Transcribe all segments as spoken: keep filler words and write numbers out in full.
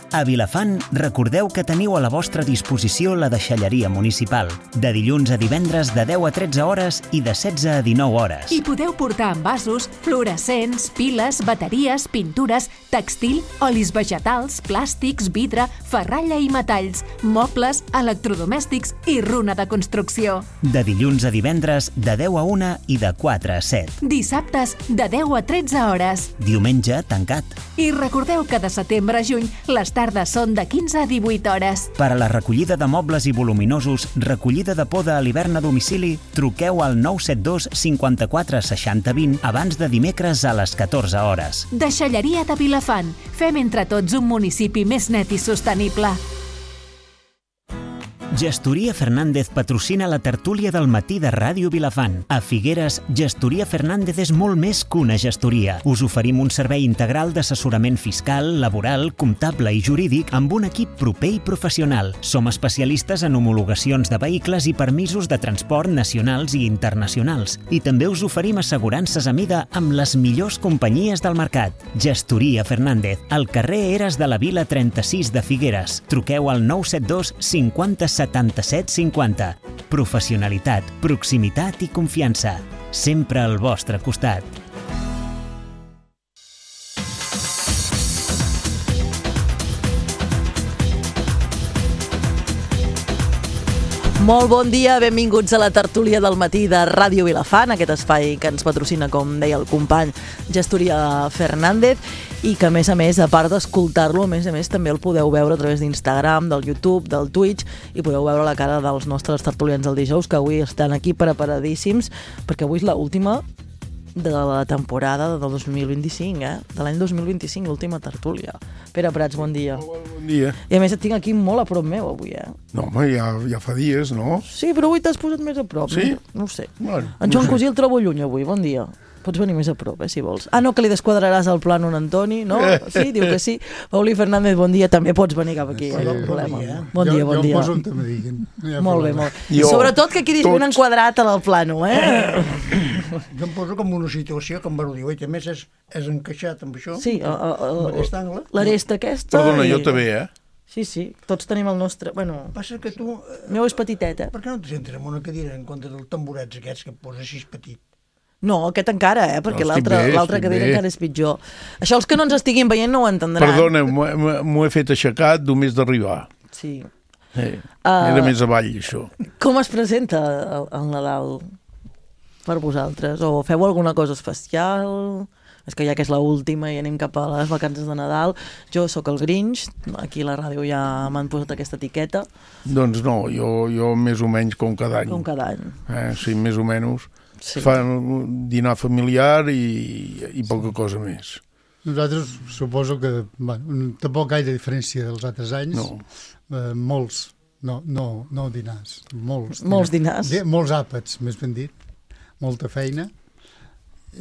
A Vilafant, recordeu que teniu a la vostra disposició la deixalleria municipal, de dilluns a divendres de deu a tretze hores i de setze a dinou hores. I podeu portar envasos, fluorescents, piles, bateries, pintures, textil, olis vegetals, plàstics, vidre, ferralla i metalls, mobles, electrodomèstics i runa de construcció. De dilluns a divendres de deu a una i de quatre a set. Dissabtes de deu a tretze hores. Diumenge tancat. I recordeu que de setembre a juny les tardes són de quinze a divuit hores. Per a la recollida de mobles i voluminosos, recollida de poda a l'hivern a domicili, truqueu al nou set dos cinquanta-quatre seixanta vint abans de dimecres a les catorze hores. Deixalleria de Vilafant. Fem entre tots un municipi més net i sostenible. Gestoria Fernández patrocina la tertúlia del matí de Ràdio Vilafant. A Figueres, Gestoria Fernández és molt més que una gestoria. Us oferim un servei integral d'assessorament fiscal, laboral, comptable i jurídic amb un equip proper i professional. Som especialistes en homologacions de vehicles i permisos de transport nacionals i internacionals. I també us oferim assegurances a mida amb les millors companyies del mercat. Gestoria Fernández, al carrer Eres de la Vila trenta-sis de Figueres. Truqueu al nou set dos cinquanta setanta-set cinquanta. Professionalitat, proximitat i confiança. Sempre al vostre costat. Molt bon dia, benvinguts a la tertúlia del matí de Ràdio Vilafant, aquest espai que ens patrocina, com deia el company, Gestoria Fernández, i que, a més a més, a part d'escoltar-lo, a més a més, també el podeu veure a través d'Instagram, del YouTube, del Twitch, i podeu veure la cara dels nostres tertulians del dijous, que avui estan aquí preparadíssims, perquè avui és l'última de la temporada del dos mil vint-i-cinc, eh? De l'any dos mil vint-i-cinc, l'última tertúlia. Pere Prats, bon dia. Bon dia. I a més et tinc aquí molt a prop meu avui, eh? No, home, ja, ja fa dies, no? Sí, però avui t'has posat més a prop. Sí? No, no ho sé. Bueno, en no Joan sé. Cosí el trobo lluny avui, bon dia. Pots venir més a prop, eh, si vols. Ah, no, que li desquadraràs el plànol a Antoni, no? Sí, diu que sí. Pauli Fernández, bon dia, també pots venir cap aquí, eh? No problema. Bon dia, bon dia. Jo em poso on te me diguin. Ja molt bé, molt bé. Jo, Sobretot que quedis ben enquadrat en el plànol, eh? Jo em poso com una situació que em va dir, oi, a més és, és encaixat amb això, Sí, a- a- a- amb aquest angle. l'aresta aquesta... Perdona, i- jo també, eh? Sí, sí, tots tenim el nostre... Bueno, Passa que tu, eh, el meu és petitet, eh? per què no te sentes en una cadira en compte dels tamborets aquests que et poses així petit? No, aquest encara, eh? Perquè No, estic l'altra bé, l'altra estic cadira bé. encara és pitjor. Això els que no ens estiguin veient no ho entendran. Perdona, m'ho he- m'ho he fet aixecat només d'arribar. Sí. Eh, Ah. Era més avall, això. Com es presenta el, el Nadal per vosaltres? O feu alguna cosa especial? És que ja que és l'última i anem cap a les vacances de Nadal. Jo sóc el Grinch, aquí a la ràdio ja m'han posat aquesta etiqueta, Doncs no, jo, jo més o menys com cada any. com cada any. Eh, sí, més o menys. Sí. Fan un dinar familiar i, i poca cosa més. Nosaltres suposo que, bueno, tampoc gaire diferència dels altres anys. No. Eh, molts, no, no, no dinars, molts. Molts dinars. Di- Molts àpats, més ben dit. Molta feina.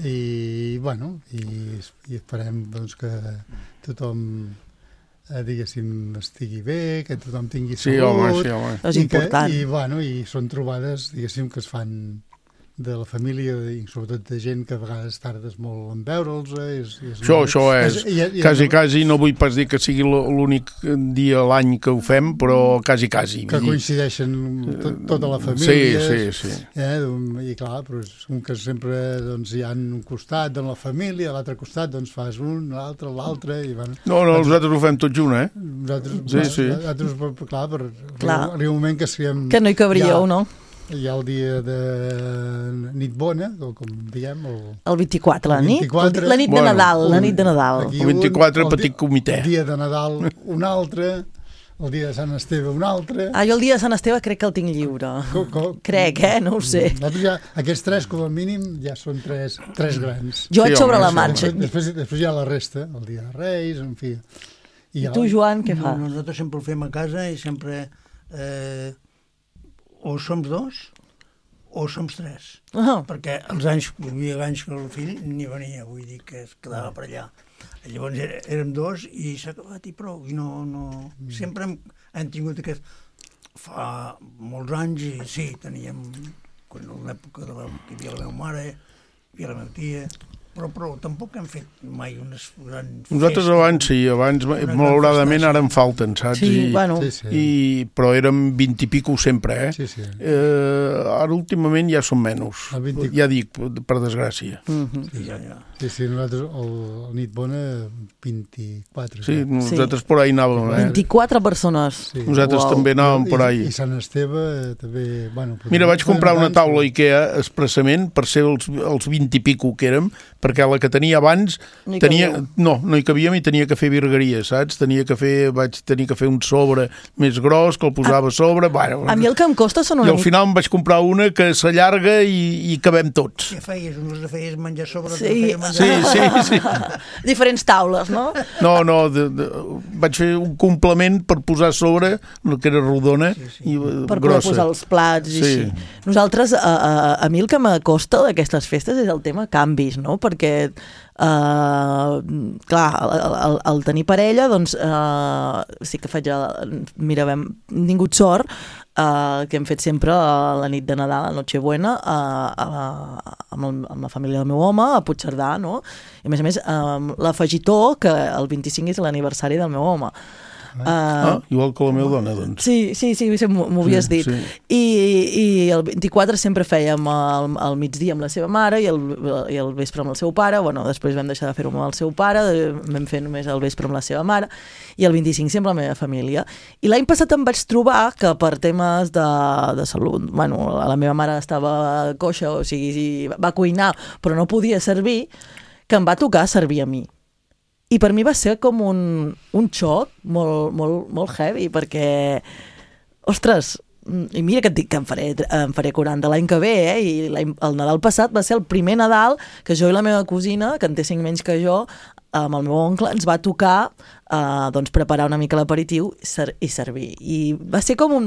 I, bueno, i, i esperem doncs, que tothom, eh, diguéssim, estigui bé, que tothom tingui Sí, salut. home, sí, home. És I que- important. I, bueno, i són trobades, diguéssim, que es fan de la família i sobretot de gent que a vegades tardes molt en veure'ls. eh, És, és Això, molt- això és, i- i- quasi, quasi, no vull pas dir que sigui l'únic dia a l'any que ho fem, però quasi, quasi. que Vull dir, coincideixen tot, tota la família. Sí, sí, sí. Eh, I clar, però és un que sempre doncs, hi ha un costat de la família, a l'altre costat doncs, fas un, l'altre, l'altre, i bueno, No, no, nosaltres ho fem tot junt, eh? nosaltres, Sí, sí. nosaltres per- clar, per, Clar. arriba un moment que siguem... Que no hi cabríeu, ja, no? Hi ha el dia de nit bona, o com diguem, el, El vint-i-quatre, la El nit? vint-i-quatre. La nit de Bueno, Nadal, la un- nit de Nadal. aquí El vint-i-quatre, un, el petit di- comitè. El dia de Nadal, un altre, el dia de Sant Esteve, un altre... Ah, jo el dia de Sant Esteve crec que el tinc lliure. Co- co- Crec, eh? No ho sé. Nosaltres ja, aquests tres, com a mínim, ja són tres, tres grans. Jo Sí, vaig sobre home, la sí. marxa. Després, després, després hi ha la resta, el dia de Reis, en fi. I tu, Joan, què No, fas? nosaltres sempre ho fem a casa i sempre eh, o som dos o som tres. Ah, Perquè els anys, hi havia anys que el fill ni venia, vull dir que es quedava per allà. Llavors era- érem dos i s'ha acabat i prou. I no, no... Sempre hem, hem tingut aquest... Fa molts anys i sí, teníem... Quan en l'època de la, que hi havia la meva mare, hi havia la meva tia, però, però tampoc hem fet mai unes grans Nosaltres festes. abans sí, abans malauradament ara en falten, saps? Sí, I, bueno. Sí, sí. I, però érem vint i pico sempre, eh? Sí, sí. Eh, ara últimament ja són menys, El vint... ja dic, per desgràcia. Mhm. Sí, ja, ja. Sí, sí, nosaltres el, el nit bona vint-i-quatre. Sí, ja. nosaltres por ahí anàvem, eh? vint-i-quatre persones. Sí. Nosaltres Uau. també anàvem por I, ahí. I Sant Esteve eh, també... Bueno, Mira, vaig comprar una taula Ikea expressament per ser els, els vint i pico que érem, perquè la que tenia abans No hi tenia, cabíeu. no, no hi cabíem i tenia que fer virgueria, saps? Tenia que fer, vaig tenir que fer un sobre més gros que el posava a sobre. Bueno, A mi el que em costa són I una al mica... final em vaig comprar una que s'allarga i, i cabem tots. Què feies? Uns de feies menjar sobre, Sí. sí. feia menjar... Sí, sí, sí. Diferents taules, no? No, no, de, de, vaig fer un complement per posar a sobre, que era rodona sí, sí. i eh, Per poder grossa. posar els plats i Sí. així. Nosaltres, a, a, a mi el que m'acosta d'aquestes festes és el tema canvis, no? Perquè, uh, clar, el, el, el tenir parella, doncs, uh, sí que faig... El, mira, hem tingut sort uh, que hem fet sempre uh, la nit de Nadal, la Nochebuena, uh, uh, amb, el, amb la família del meu home, a Puigcerdà, no? I a més a més, uh, l'afegitó que el vint-i-cinc és l'aniversari del meu home. Uh, Ah, igual que la meva dona, doncs. Sí, sí, sí, sí m'ho m'ho havies Sí, dit. sí. I, I el vint-i-quatre sempre fèiem el, el migdia amb la seva mare i el, i el vespre amb el seu pare. Bueno, després vam deixar de fer-ho amb el seu pare, vam fer només el vespre amb la seva mare, i el vint-i-cinc sempre la meva família. I l'any passat em vaig trobar que per temes de, de salut, bueno, la meva mare estava coixa, o sigui, va cuinar, però no podia servir, que em va tocar servir a mi. I per mi va ser com un, un xoc molt, molt, molt heavy, perquè, ostres, i mira que et dic que em faré, em faré quaranta l'any que ve, eh? I el Nadal passat va ser el primer Nadal que jo i la meva cosina, que en té cinc menys que jo, amb el meu oncle, ens va tocar uh, doncs preparar una mica l'aperitiu ser i servir. I va ser com un...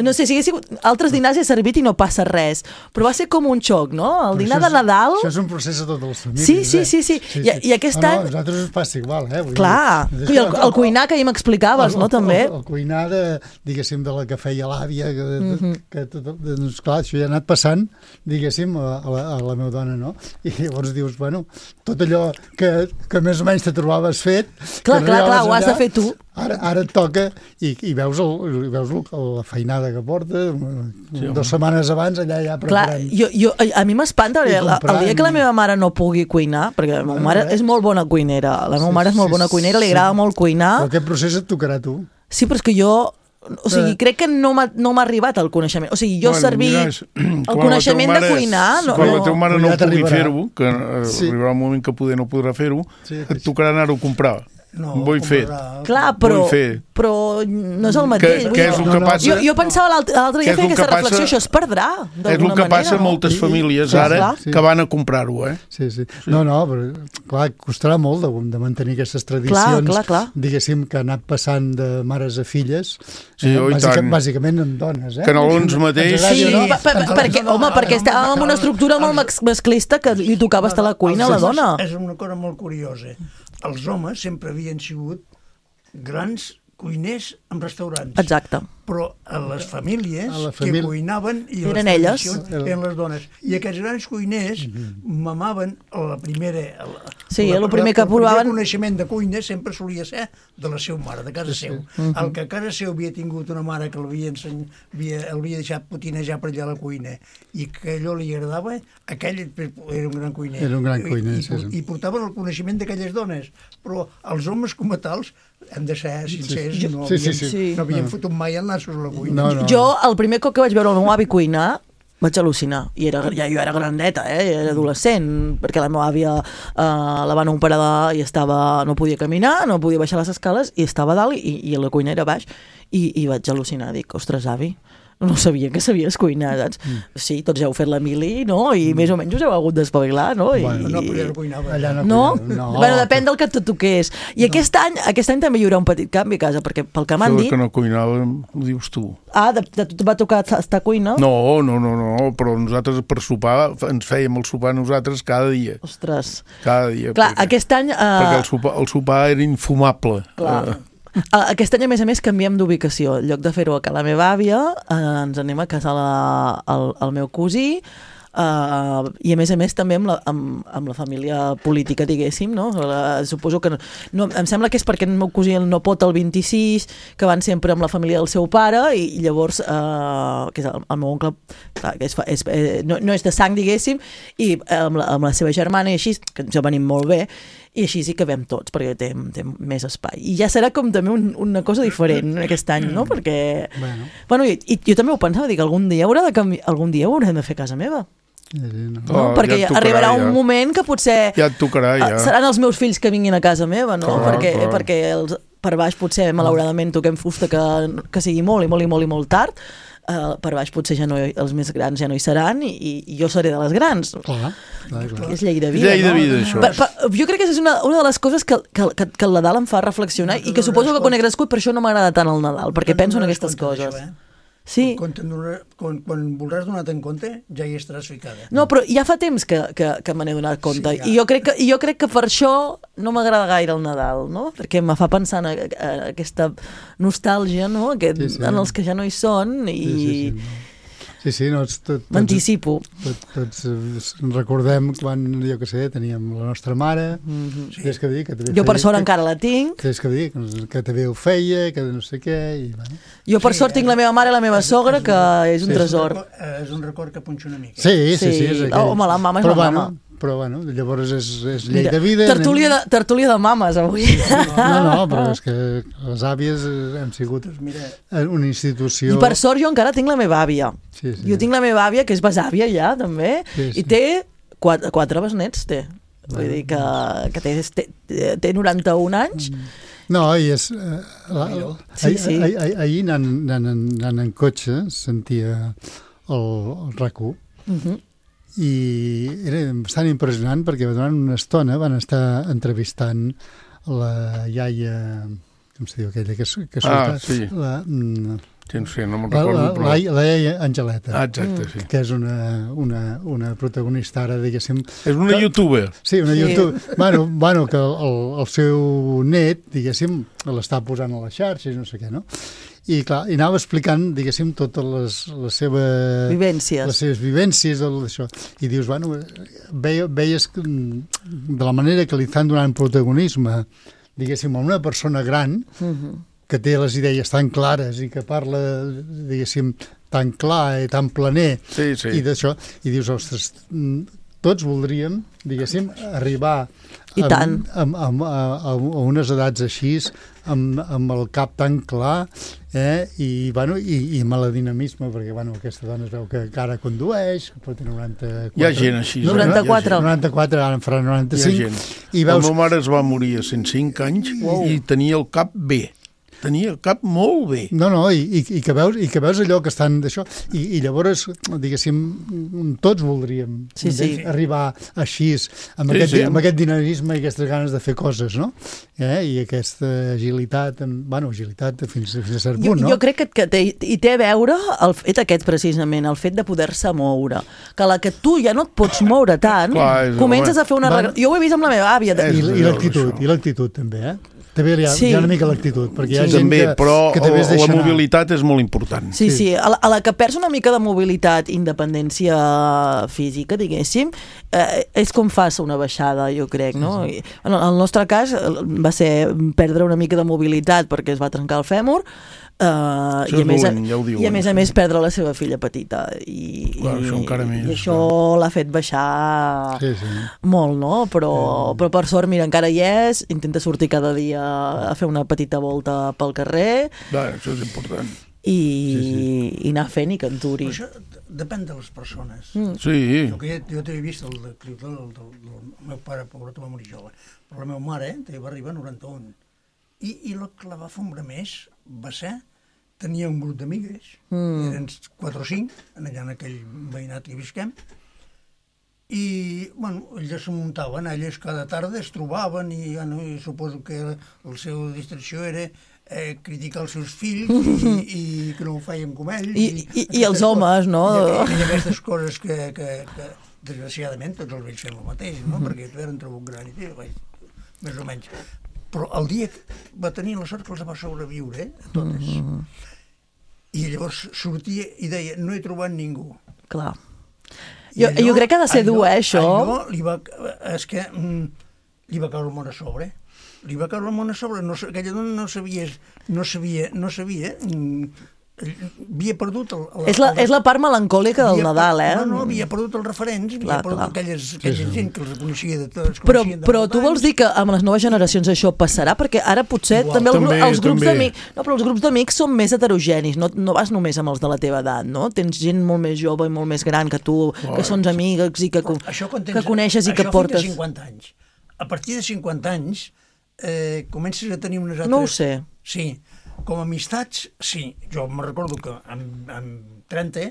No sé, si hagués sigut... Altres dinars he servit i no passa res, però va ser com un xoc, no? El dinar de Nadal... Això és un procés a totes les famílies, Sí, sí, sí, sí. eh? I, i aquest no, any... No, a nosaltres ens passa igual, eh? Vull Clar, dir, i el, el cuinar que ahir m'explicaves, no, també? El, el cuinar, de, diguéssim, de la que feia l'àvia, que, mm -hmm. que tot, doncs, clar, això ja ha anat passant, diguéssim, a, a, la, a la meva dona, no? I llavors dius, bueno, tot allò que, que més o menys te trobaves fet... Clar, clar, clar, ho has de fer tu. Ara, ara et toca i, i veus, el, i veus el, la feinada que porta, sí, dues setmanes abans allà ja preparant. Clar, jo, jo, a mi m'espanta, el, el dia que la meva mare no pugui cuinar, perquè la meva mare és molt bona cuinera, la meva Sí, mare és molt sí, bona cuinera, li sí. agrada molt cuinar. Però aquest procés et tocarà a tu. Sí, però és que jo... O sigui, crec que no m'ha no m'ha arribat el coneixement. O sigui, jo Bueno, servir mira, és- el quan coneixement la teva de mare- cuinar... No, Quan la no. teva mare Però no ja pugui t'arribarà. fer-ho, que eh, Sí. arribarà un moment que poder no podrà fer-ho, Sí, et tocarà anar-ho a comprar. No, Vull fer. comprarà- Clar, però, Vull fer. però no és el mateix. Què vull què dir, és el no, que no. passa? jo, jo pensava l'altre l'altre Què dia és fer el que aquesta reflexió, passa? això es perdrà, És el d'alguna que manera. passa a no? moltes I- i- famílies sí, ara clar, sí. que van a comprar-ho, eh? Sí, sí. No, no, però clar, costarà molt de, de mantenir aquestes tradicions, Clar, clar, clar. diguéssim, que ha anat passant de mares a filles, Sí, oh, i bàsica, tant. bàsicament en dones, eh? Canelons mateix. Ens agradi Sí, o no, per, per, ens- perquè, no, no, home, ara perquè no, estàvem en no, una no, estructura molt max- masclista que li tocava estar a la cuina a la Els homes- dona. És una cosa molt curiosa. Els homes sempre havien sigut grans cuiners en restaurants. Exacte. Però a les famílies A la que família- cuinaven i Eren les elles. tradicions eren les dones. I aquests grans cuiners mamaven la primera... La, Sí, la, el primer que el primer provaven- coneixement de cuina sempre solia ser de la seva mare, de casa seu. El que a casa seu havia tingut una mare que l'havia enseny... havia, havia deixat potinejar per allà a la cuina i que allò li agradava, aquell era un gran cuiner. Era un gran cuiner, I, sí, i, sí. I portaven el coneixement d'aquelles dones. Però els homes com a tals, hem de ser sincers, Sí, no sí, havien, sí, sí. no havien fotut mai el nassos a la cuina. No, no. Jo, el primer cop que vaig veure el meu avi cuinar, vaig al·lucinar. I era, ja jo era grandeta, eh? Era adolescent, perquè la meva àvia eh, la van operar i estava, no podia caminar, no podia baixar les escales, i estava a dalt i, i la cuina era baix. I, i vaig al·lucinar, dic, ostres, avi, no sabia que sabies cuinar, saps? Mm. Sí, tots heu fet la mili, no? I mm. més o menys us heu hagut d'espavilar, no? I, Bueno, No, però ja no cuinava. Allà no, No? cuinava, no. Bueno, depèn del que tu toqués. I no. aquest any aquest any també hi haurà un petit canvi a casa, perquè pel que m'han Això dit... que no cuinàvem, ho dius tu. Ah, de, de, tu va tocar estar a cuina? No, no, no, no, però nosaltres per sopar ens fèiem el sopar nosaltres cada dia. Ostres. Cada dia. Clar, perquè, aquest any... Uh, perquè el sopar, el sopar era infumable. Clar. Eh, Uh, aquest any, a més a més, canviem d'ubicació. En lloc de fer-ho a casa la meva àvia, uh, ens anem a casa la, el, el meu cosí, Uh, i a més a més també amb la, amb, amb la família política, diguéssim, no? La, suposo que no, no, em sembla que és perquè el meu cosí no pot el vint-i-sis, que van sempre amb la família del seu pare, i, i llavors uh, que és el, el meu oncle, clar, que és, és, eh, no, no és de sang, diguéssim, i amb la, amb la seva germana i així, que ens venim molt bé, i així sí que vam tots, perquè té, té més espai. I ja serà com també un, una cosa diferent aquest any, no? Perquè... Bueno, bueno i, i jo també ho pensava, dic, algun dia haurà de canviar, algun dia haurem de fer casa meva. No? No? Oh, perquè ja tocarà, arribarà un ja. moment que potser... Ja et tocarà, ja. Seran els meus fills que vinguin a casa meva, no? Clar, perquè clar. perquè els, per baix potser, malauradament, toquem fusta que, que sigui molt i molt i molt i molt tard. Uh, per baix potser ja no, els més grans ja no hi seran i, i jo seré de les grans. Clar, clar, clar. És llei de vida, llei de vida, no? això. Per, per, jo crec que és una, una de les coses que, que, que, que el Nadal em fa reflexionar i que suposo que quan he crescut per això no m'agrada tant el Nadal, perquè penso en aquestes coses. Això, eh? Sí. Quan, quan, quan voldràs donar-te en compte, ja hi estaràs ficada. No, però ja fa temps que, que, que me n'he donat compte. Sí, ja. I jo crec, que, jo crec que per això no m'agrada gaire el Nadal, no? Perquè me fa pensar en, en aquesta nostàlgia, no? Aquest, sí, sí. En els que ja no hi són i... Sí, sí, sí. Sí, sí, no, tot, m'anticipo. Tot, tots tots recordem quan, jo què sé, teníem la nostra mare, mm-hmm. sí. que dir, que jo per sort que, encara la tinc. Que, que, dir, que també ho feia, que no sé què... I, bueno. Jo per sí, sort eh, tinc la meva mare i la meva és, sogra, que és un sí, tresor. És un record que punxa una mica. Sí, sí, sí. sí és aquell. Oh, home, la mama és però, la bueno, mama. Però, bueno, llavors és, és llei Mira, de vida. Tertúlia de, tertúlia de mames, avui. No, no, però és que les àvies hem sigut una institució... I per sort jo encara tinc la meva àvia. Sí, sí. Jo tinc la meva àvia, que és besàvia ja, també, sí, sí. I té quatre, quatre besnets, té. Vull dir que, que té, té, té noranta-un anys. No, i és... Uh, la, la, sí, sí. Ahir, ahir, ahir anant, anant, anant en cotxe sentia el, el RAC u. Uh-huh. I era bastant impressionant perquè durant una estona van estar entrevistant la iaia, com se diu aquella que, que ah, sí. la, sí, no sé, no me'n la, recordo la, però... la, la iaia Angeleta, ah, exacte, sí. que és una, una, una protagonista ara, diguéssim... És una que, youtuber. Sí, una sí. youtuber. Bueno, bueno, que el, el seu net, diguéssim, l'està posant a les xarxes, no sé què, no? I clar, i anava explicant, diguéssim, totes les, les seves vivències, les seves vivències d'això. I dius, bueno, veia, veies que, de la manera que li estan donant protagonisme, diguéssim, a una persona gran, uh-huh. que té les idees tan clares i que parla, diguéssim, tan clar i tan planer, sí, sí. i d'això, i dius, ostres, tots voldríem, diguéssim, arribar I amb, tant. Amb, amb, a, a unes edats així, amb, amb el cap tan clar, eh? I, bueno, i, i amb el dinamisme, perquè bueno, aquesta dona es veu que encara condueix, que pot tenir noranta-quatre... Hi ha gent així. noranta-quatre. noranta-quatre, ara en farà noranta-cinc. Hi ha gent. I veus... La meva mare es va morir a cent cinc anys wow. i tenia el cap bé. Tenia el cap molt bé. No, no, i, i, i, que, veus, i que veus allò que estan d'això, i, i llavors, diguéssim, tots voldríem sí, sí. arribar així, amb, sí, aquest, sí. amb aquest dinamisme i aquestes ganes de fer coses, no? Eh? I aquesta agilitat, bueno, agilitat fins, fins a cert punt, jo, no? Jo crec que, que té, hi té a veure el fet aquest, precisament, el fet de poder-se moure. Que la que tu ja no et pots moure tant, Clar, comences home. a fer una... Bueno, jo ho he vist amb la meva àvia. I, i l'actitud, i l'actitud també, eh? També hi ha, sí. hi ha una mica l'actitud, perquè hi ha sí. gent també, que, però que també es deixa la anar. mobilitat és molt important. Sí, sí, a la, a la que perds una mica de mobilitat, independència física, diguéssim, eh, és com fas una baixada, jo crec, no? Sí, sí. En el nostre cas va ser perdre una mica de mobilitat perquè es va trencar el fèmur, Uh, i, a més, dolent, ja diuen, i a més a més perdre la seva filla petita i, Clar, i, això encara més, i això l'ha fet baixar sí, sí. molt, no? Però, sí. però per sort, mira, encara hi és, intenta sortir cada dia a fer una petita volta pel carrer. Va, això és important. I, sí, sí. i anar fent i que enturi. Això depèn de les persones. Mm. Sí. Jo, que jo t'he vist el del, del, del, del meu pare, pobret, va morir jove, però la meva mare eh, va arribar a noranta-un. I, i el que la va fombrar més va ser, tenia un grup d'amigues, mm. eren quatre o cinc, allà en aquell veïnat que visquem, i, bueno, elles se muntaven, elles cada tarda es trobaven, i, bueno, i suposo que la seva distracció era eh, criticar els seus fills, i, i que no ho feien com ells. I, i, i els homes, no? I, i aquestes coses que, que, que, desgraciadament, tots els vells fem el mateix, no? Mm. Perquè tu eren trobat gran i tu, més o menys. Però el dia va tenir la sort que els va sobreviure, eh, a totes. Mm-hmm. I llavors sortia i deia, no he trobat ningú. Clar. Jo, allò, jo crec que ha de ser dur, eh, això. Allò li va... És que mm, li va caure el món a sobre. Li va caure el món a sobre. No, aquella dona no sabia... No sabia... No sabia... Mm, havia perdut el, el, és, la, el, és la part melancòlica del Nadal, eh? No, no, havia perdut els referents, havia clar, perdut clar. aquelles, aquella sí, gent que els coneixia de tots. Però, però tu vols dir que amb les noves generacions això passarà? Perquè ara potser Igual, també, també els grups d'amics, no, però els grups d'amics són més heterogenis, no, no vas només amb els de la teva edat, no? Tens gent molt més jove i molt més gran que tu, oh, que són amigues i que, això, tens, que coneixes i que portes. Això fins a cinquanta anys. A partir de cinquanta anys eh, comences a tenir unes altres... No ho sé. Sí. Com a amistats, sí. Jo me recordo que amb, amb trenta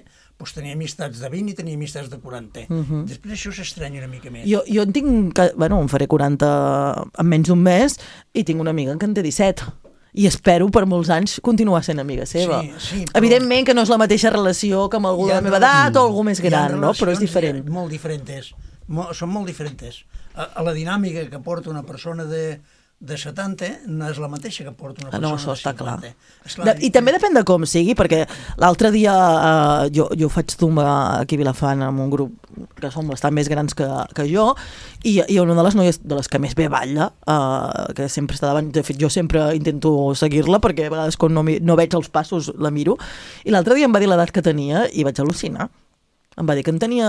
doncs tenia amistats de vint i tenia amistats de quaranta. Uh -huh. Després això s'estranya una mica més. Jo, jo en tinc... Que, bueno, em faré quaranta en menys d'un mes i tinc una amiga que en té disset. I espero per molts anys continuar sent amiga seva. Sí, sí, però... Evidentment que no és la mateixa relació que amb algú de la meva edat o algú més gran, no? Però és diferent. Molt diferents. Molt, són molt diferents. A, a la dinàmica que porta una persona de... de setanta no és la mateixa que porta una persona no, això està de cinquanta. Clar. Clar. De, I també depèn de com sigui, perquè l'altre dia eh, jo, jo faig zumba aquí a Vilafant amb un grup que són bastant més grans que, que jo, i, i una de les noies de les que més bé balla, eh, que sempre està davant, de fet jo sempre intento seguir-la, perquè a vegades quan no, no veig els passos la miro, i l'altre dia em va dir l'edat que tenia i vaig al·lucinar. Em va dir que en tenia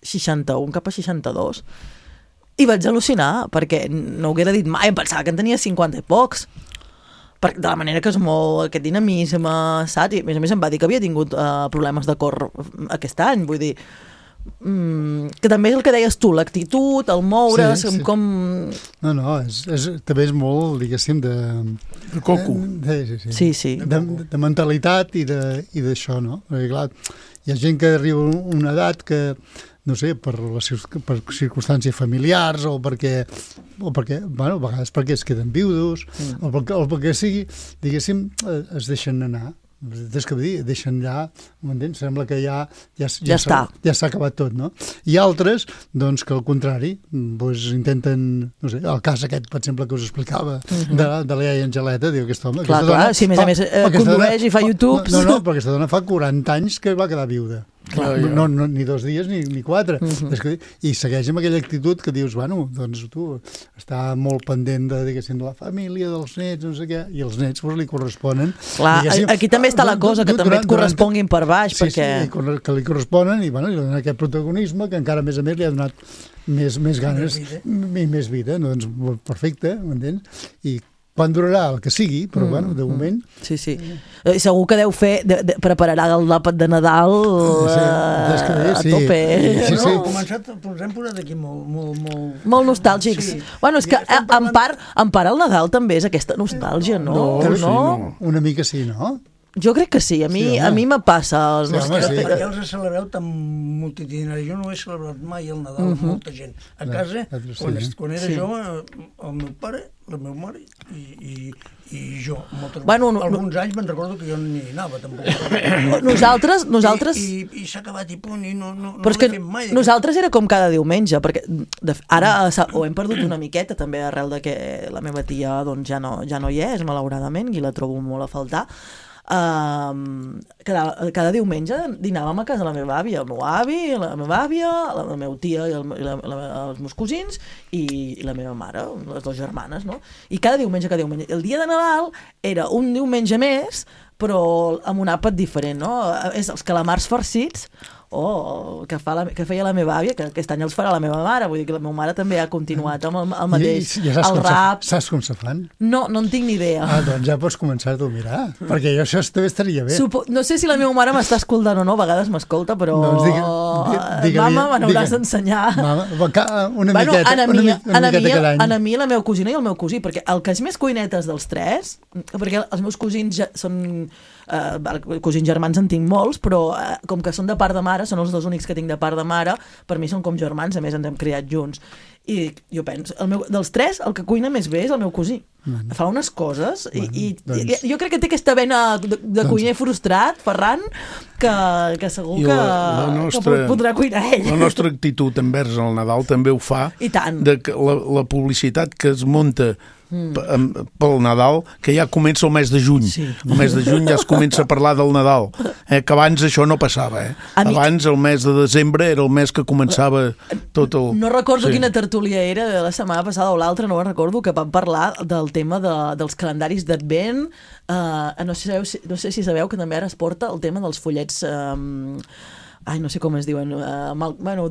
seixanta-un cap a seixanta-dos. I vaig al·lucinar, perquè no ho haguera dit mai, em pensava que en tenia cinquanta i pocs. Per, de la manera que es mou aquest dinamisme, saps? I a més a més em va dir que havia tingut uh, problemes de cor aquest any, vull dir... Mm, que també és el que deies tu, l'actitud, el moure's, sí, sí. com... No, no, és, és, també és molt, diguéssim, de... De coco. De, sí, sí. Sí, sí. De, de mentalitat i d'això, no? Perquè, clar, hi ha gent que arriba a una edat que... no sé, per, les, per circumstàncies familiars o perquè, o perquè, bueno, a vegades perquè es queden viudos mm. o, perquè, o perquè sigui, diguéssim, es deixen anar. Des que dir, deixen allà, m'entens? Sembla que ja ja, ja, ja està. Ja s'ha acabat tot, no? I altres, doncs, que al contrari, doncs, intenten, no sé, el cas aquest, per exemple, que us explicava, mm-hmm. de, de la iaia Angeleta, diu, aquesta home... Clar, aquesta clar, dona, si més a més eh, condueix i fa YouTube... No, no, però aquesta dona fa quaranta anys que va quedar viuda. Clar, no, no, no, ni dos dies ni, ni quatre. Uh-huh. És que, i segueix amb aquella actitud que dius, bueno, doncs tu està molt pendent de, diguéssim, de la família, dels nets, no sé què, i els nets pues, li corresponen. Clar, aquí també està la cosa, que durant, també et corresponguin per baix. Sí, perquè... sí, que li corresponen i, bueno, li donen aquest protagonisme que encara, a més a més, li ha donat més, més ganes i més vida. No, doncs, perfecte, m'entens? I quan durarà el que sigui, però, mm, bueno, de moment... Sí, sí. Eh, segur que deu fer... De, de, prepararà el àpat de Nadal sí, eh, a sí. tope. Sí, sí. No, començat, ens hem posat aquí molt... Molt, molt... molt nostàlgics. Sí. Bueno, és que en parlant... part, en part el Nadal també és aquesta nostàlgia, no? No, no? Sí, no. Una mica sí, no? Jo crec que sí, a mi, sí, a mi me passa. Els sí, nostres... home, sí. Per què els celebreu tan multitudinari? Jo no he celebrat mai el Nadal amb uh -huh. molta gent. A casa, no, sí, quan, eh? quan era sí. jove, el meu pare, la meva mare i, i, i jo. Moltes, bueno, no, alguns no, anys me'n recordo que jo no hi anava, tampoc. Nosaltres... nosaltres... I, i, i s'ha acabat i punt, i no, no, però no l'he fet mai. Nosaltres era com cada diumenge, perquè de, ara ho hem perdut una miqueta, també arrel de que la meva tia doncs, ja, no, ja no hi és, malauradament, i la trobo molt a faltar. Uh, cada, cada diumenge dinàvem a casa la meva àvia, el meu avi, la meva àvia, la, la meva tia i, el, i la, la, els meus cosins i, i la meva mare, les dues germanes, no? I cada diumenge, cada diumenge. El dia de Nadal era un diumenge més, però amb un àpat diferent, no? És els calamars farcits, oh, que, fa la, que feia la meva àvia, que aquest any els farà la meva mare, vull dir que la meva mare també ha continuat amb el, el mateix, I, i ja el rap. Se, saps com se fan? No, no en tinc ni idea. Ah, doncs ja pots començar a mirar, perquè jo això també estaria bé. Supo no sé si la meva mare m'està escoltant o no, a vegades m'escolta, però... Doncs digue, digue, mama, me n'hauràs d'ensenyar. Mama, una bueno, miqueta, a mi, una, una miqueta cada any. A mi, la meva cosina i el meu cosí, perquè el que és més cuinetes dels tres, perquè els meus cosins ja són... Uh, cosins germans en tinc molts, però uh, com que són de part de mare, són els dos únics que tinc de part de mare, per mi són com germans, a més ens hem criat junts I jo penso, el meu, dels tres, el que cuina més bé és el meu cosí. Bueno. Fa unes coses i, bueno, i, doncs... i jo crec que té aquesta vena de, de doncs... cuiner frustrat, Ferran, que, que segur que, la nostra, que podrà cuinar ell. La nostra actitud envers el Nadal també ho fa. I tant. De que la, la publicitat que es munta Mm. pel Nadal, que ja comença el mes de juny. Sí. El mes de juny ja es comença a parlar del Nadal. Eh, que abans això no passava. Eh? Mi... Abans, el mes de desembre, era el mes que començava tot el... No recordo sí. quina tertúlia era de la setmana passada o l'altra, no ho recordo, que vam parlar del tema de, dels calendaris d'Advent. Uh, no, sé, no sé si sabeu que també ara es porta el tema dels follets... Um, ai, no sé com es diuen, uh, mal, bueno,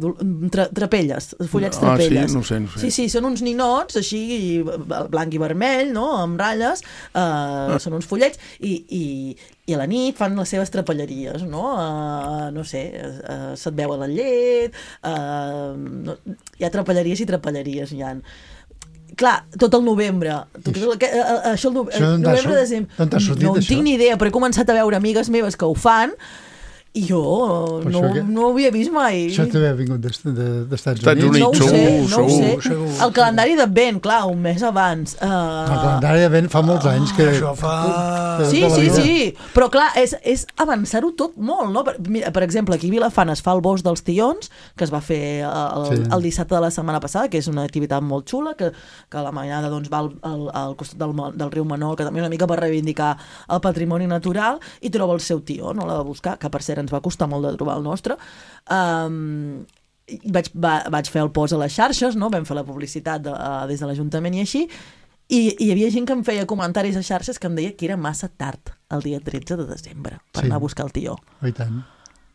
tra, trapelles, follets ah, trapelles. Sí, no sé, no sé. Sí, sí, són uns ninots, així, blanc i vermell, no?, amb ratlles, uh, ah. són uns follets, i, i, i a la nit fan les seves trapelleries, no?, uh, no sé, uh, se't veu a la llet, uh, no, hi ha trapelleries i trapelleries, hi ha. Clar, tot el novembre, tot el, que, uh, això el, no, el novembre, desembre, no en tinc ni idea, però he començat a veure amigues meves que ho fan, i jo no, que... no ho havia vist mai. Això també ha vingut d'Estats Units. Units. No ho sé, no ho sé. Segur. El calendari d'Advent, clar, un mes abans. Uh... El calendari d'Advent fa molts anys que... Això fa... Sí, sí, sí. Però clar, és, és avançar-ho tot molt, no? Per, mira, per exemple, aquí a Vilafant es fa el Bosc dels Tions, que es va fer el, sí. el dissabte de la setmana passada, que és una activitat molt xula, que, que la mainada doncs, va al, al, al costat del, del riu Manol, que també una mica per reivindicar el patrimoni natural, i troba el seu tió, no l'ha de buscar, que per cert ens va costar molt de trobar el nostre. Um, vaig, va, vaig fer el post a les xarxes, no? Vam fer la publicitat de, uh, des de l'Ajuntament i així, i, i hi havia gent que em feia comentaris a xarxes que em deia que era massa tard el dia tretze de desembre per sí. anar a buscar el tió. I tant.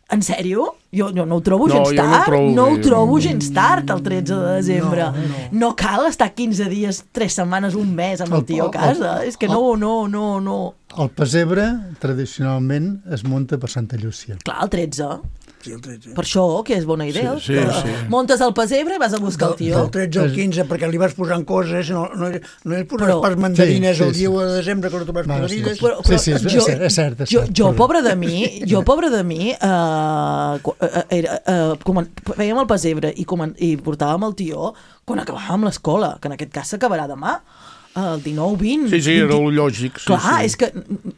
En sèrio? Jo, jo no ho trobo no, gens tard. No, trobo no ho trobo gens tard, el tretze de desembre. No, no. no cal estar quinze dies, tres setmanes, un mes amb el, el tio a casa. El, és que no, no, no, no... El pessebre, tradicionalment, es munta per Santa Llúcia. Clar, el tretze. Sí, el tretze. Per això, que és bona idea. Sí, sí, sí. Muntes el pessebre i vas a buscar el tio. Del tretze al quinze, perquè li vas posant coses, no, no, no hi posaràs pas mandarines sí, sí, el dia sí. de desembre, que no trobes mandarines. Però, però, sí, sí, és, jo, és, cert, és cert. Jo, jo, pobre de mi, jo, pobre de mi, uh, era, uh, fèiem el pessebre i, i portàvem el tió quan acabàvem l'escola, que en aquest cas s'acabarà demà. El dinou vint. Sí, sí, era el lògic. Sí, clar, sí. és que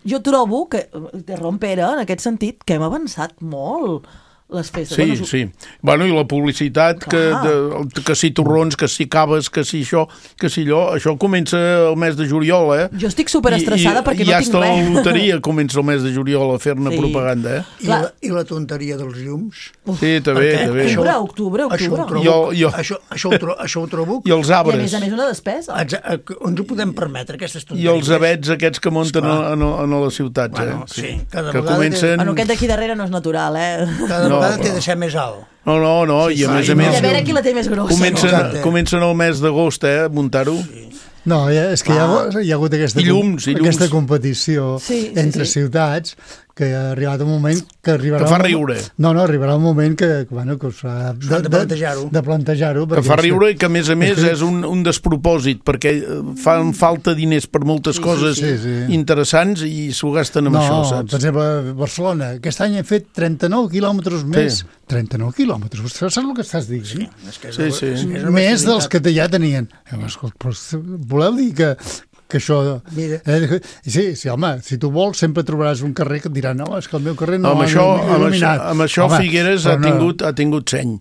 jo trobo que, de rompera, en aquest sentit, que hem avançat molt les festes. Sí, bueno, sí. Bueno, i la publicitat, que, de, que si torrons, que si caves, que si això, que si allò, això comença el mes de juliol, eh? Jo estic superestressada perquè i no ja tinc res. I ja la loteria comença el mes de juliol a fer-ne sí. propaganda, eh? I la, I la tonteria dels llums. Sí, també, també. Octubre, octubre, octubre. Això ho trobo, jo, jo. Això, això, ho trobo, això ho trobo. I els arbres. I a més a més una despesa. On ens ho podem permetre, aquestes tonteries? I els abets aquests que munten a, a, a les ciutats, bueno, eh? Sí, cada que comencen... Bueno, aquest d'aquí darrere no és natural, eh? Cada no, vegada té de ser més alt. No, no, no, sí, i a sí, més a més... I a veure qui la té més grossa. Comencen, no? comencen el mes d'agost, eh, a muntar-ho. Sí. No, és que ah. hi, ha, hi ha hagut aquesta, I llums, i llums. aquesta competició sí, sí, entre sí. ciutats que ha arribat un moment que arribarà... Que fa riure. Un... No, no, arribarà un moment que, bueno, que us fa... De, de plantejar-ho. De plantejar-ho. Que fa riure i que, a més a més, és un, un despropòsit, perquè fan falta diners per moltes sí, coses sí, sí. interessants i s'ho gasten amb no, això, saps? Per exemple, a Barcelona, aquest any hem fet trenta-nou quilòmetres més. Sí. trenta-nou quilòmetres, saps el que estàs dient? Sí, és que és sí, sí. És una més dels que ja tenien. Però voleu dir que que això... Eh, sí, sí, home, si tu vols sempre trobaràs un carrer que et dirà no, és que el meu carrer no, amb ha això, il·luminat. Amb això, amb això home, Figueres ha tingut, ha tingut seny,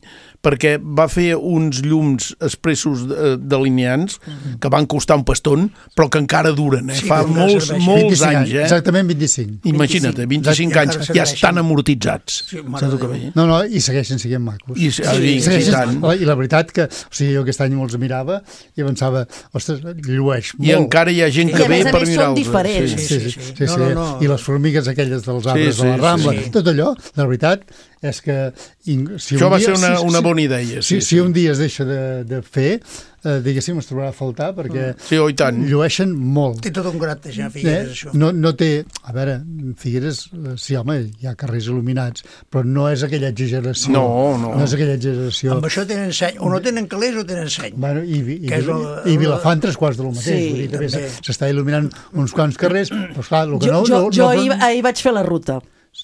perquè va fer uns llums expressos delineants que van costar un paston, però que encara duren, eh? Sí, fa molts, molts anys. Eh? Exactament vint-i-cinc. Imagina't, vint-i-cinc anys, ja estan amortitzats. Sí, saps el que veig? No, no, i segueixen sent macos. I, sí, sí, segueixen, tant. I la veritat que, o sigui, jo aquest any me'ls mirava i pensava, ostres, llueix molt. I encara hi ha gent que ve per mirar-los. I a més a més són diferents. Sí, sí, sí. sí, sí. No, no, no. I les formigues aquelles dels arbres sí, sí, de la Rambla, sí. tot allò, la veritat és que... Si això un va dia, ser una, si, una si, bona idea. Si, sí, si sí. un dia es deixa de, de fer, eh, diguéssim, es trobarà a faltar perquè sí, oh, i tant. llueixen molt. Té tot un grat de ja, Figueres, eh? això. No, no té... A veure, Figueres, sí, home, hi ha carrers il·luminats, però no és aquella exageració. No, no. No és aquella exageració. Amb això tenen seny. O no tenen calés o tenen seny. Bueno, i, i, i, el, i Vilafant tres quarts de lo mateix. Sí, vull dir, s'està il·luminant uns quants carrers, però esclar, el que jo, no... Jo, no, jo no, ahir, ahir vaig fer la ruta.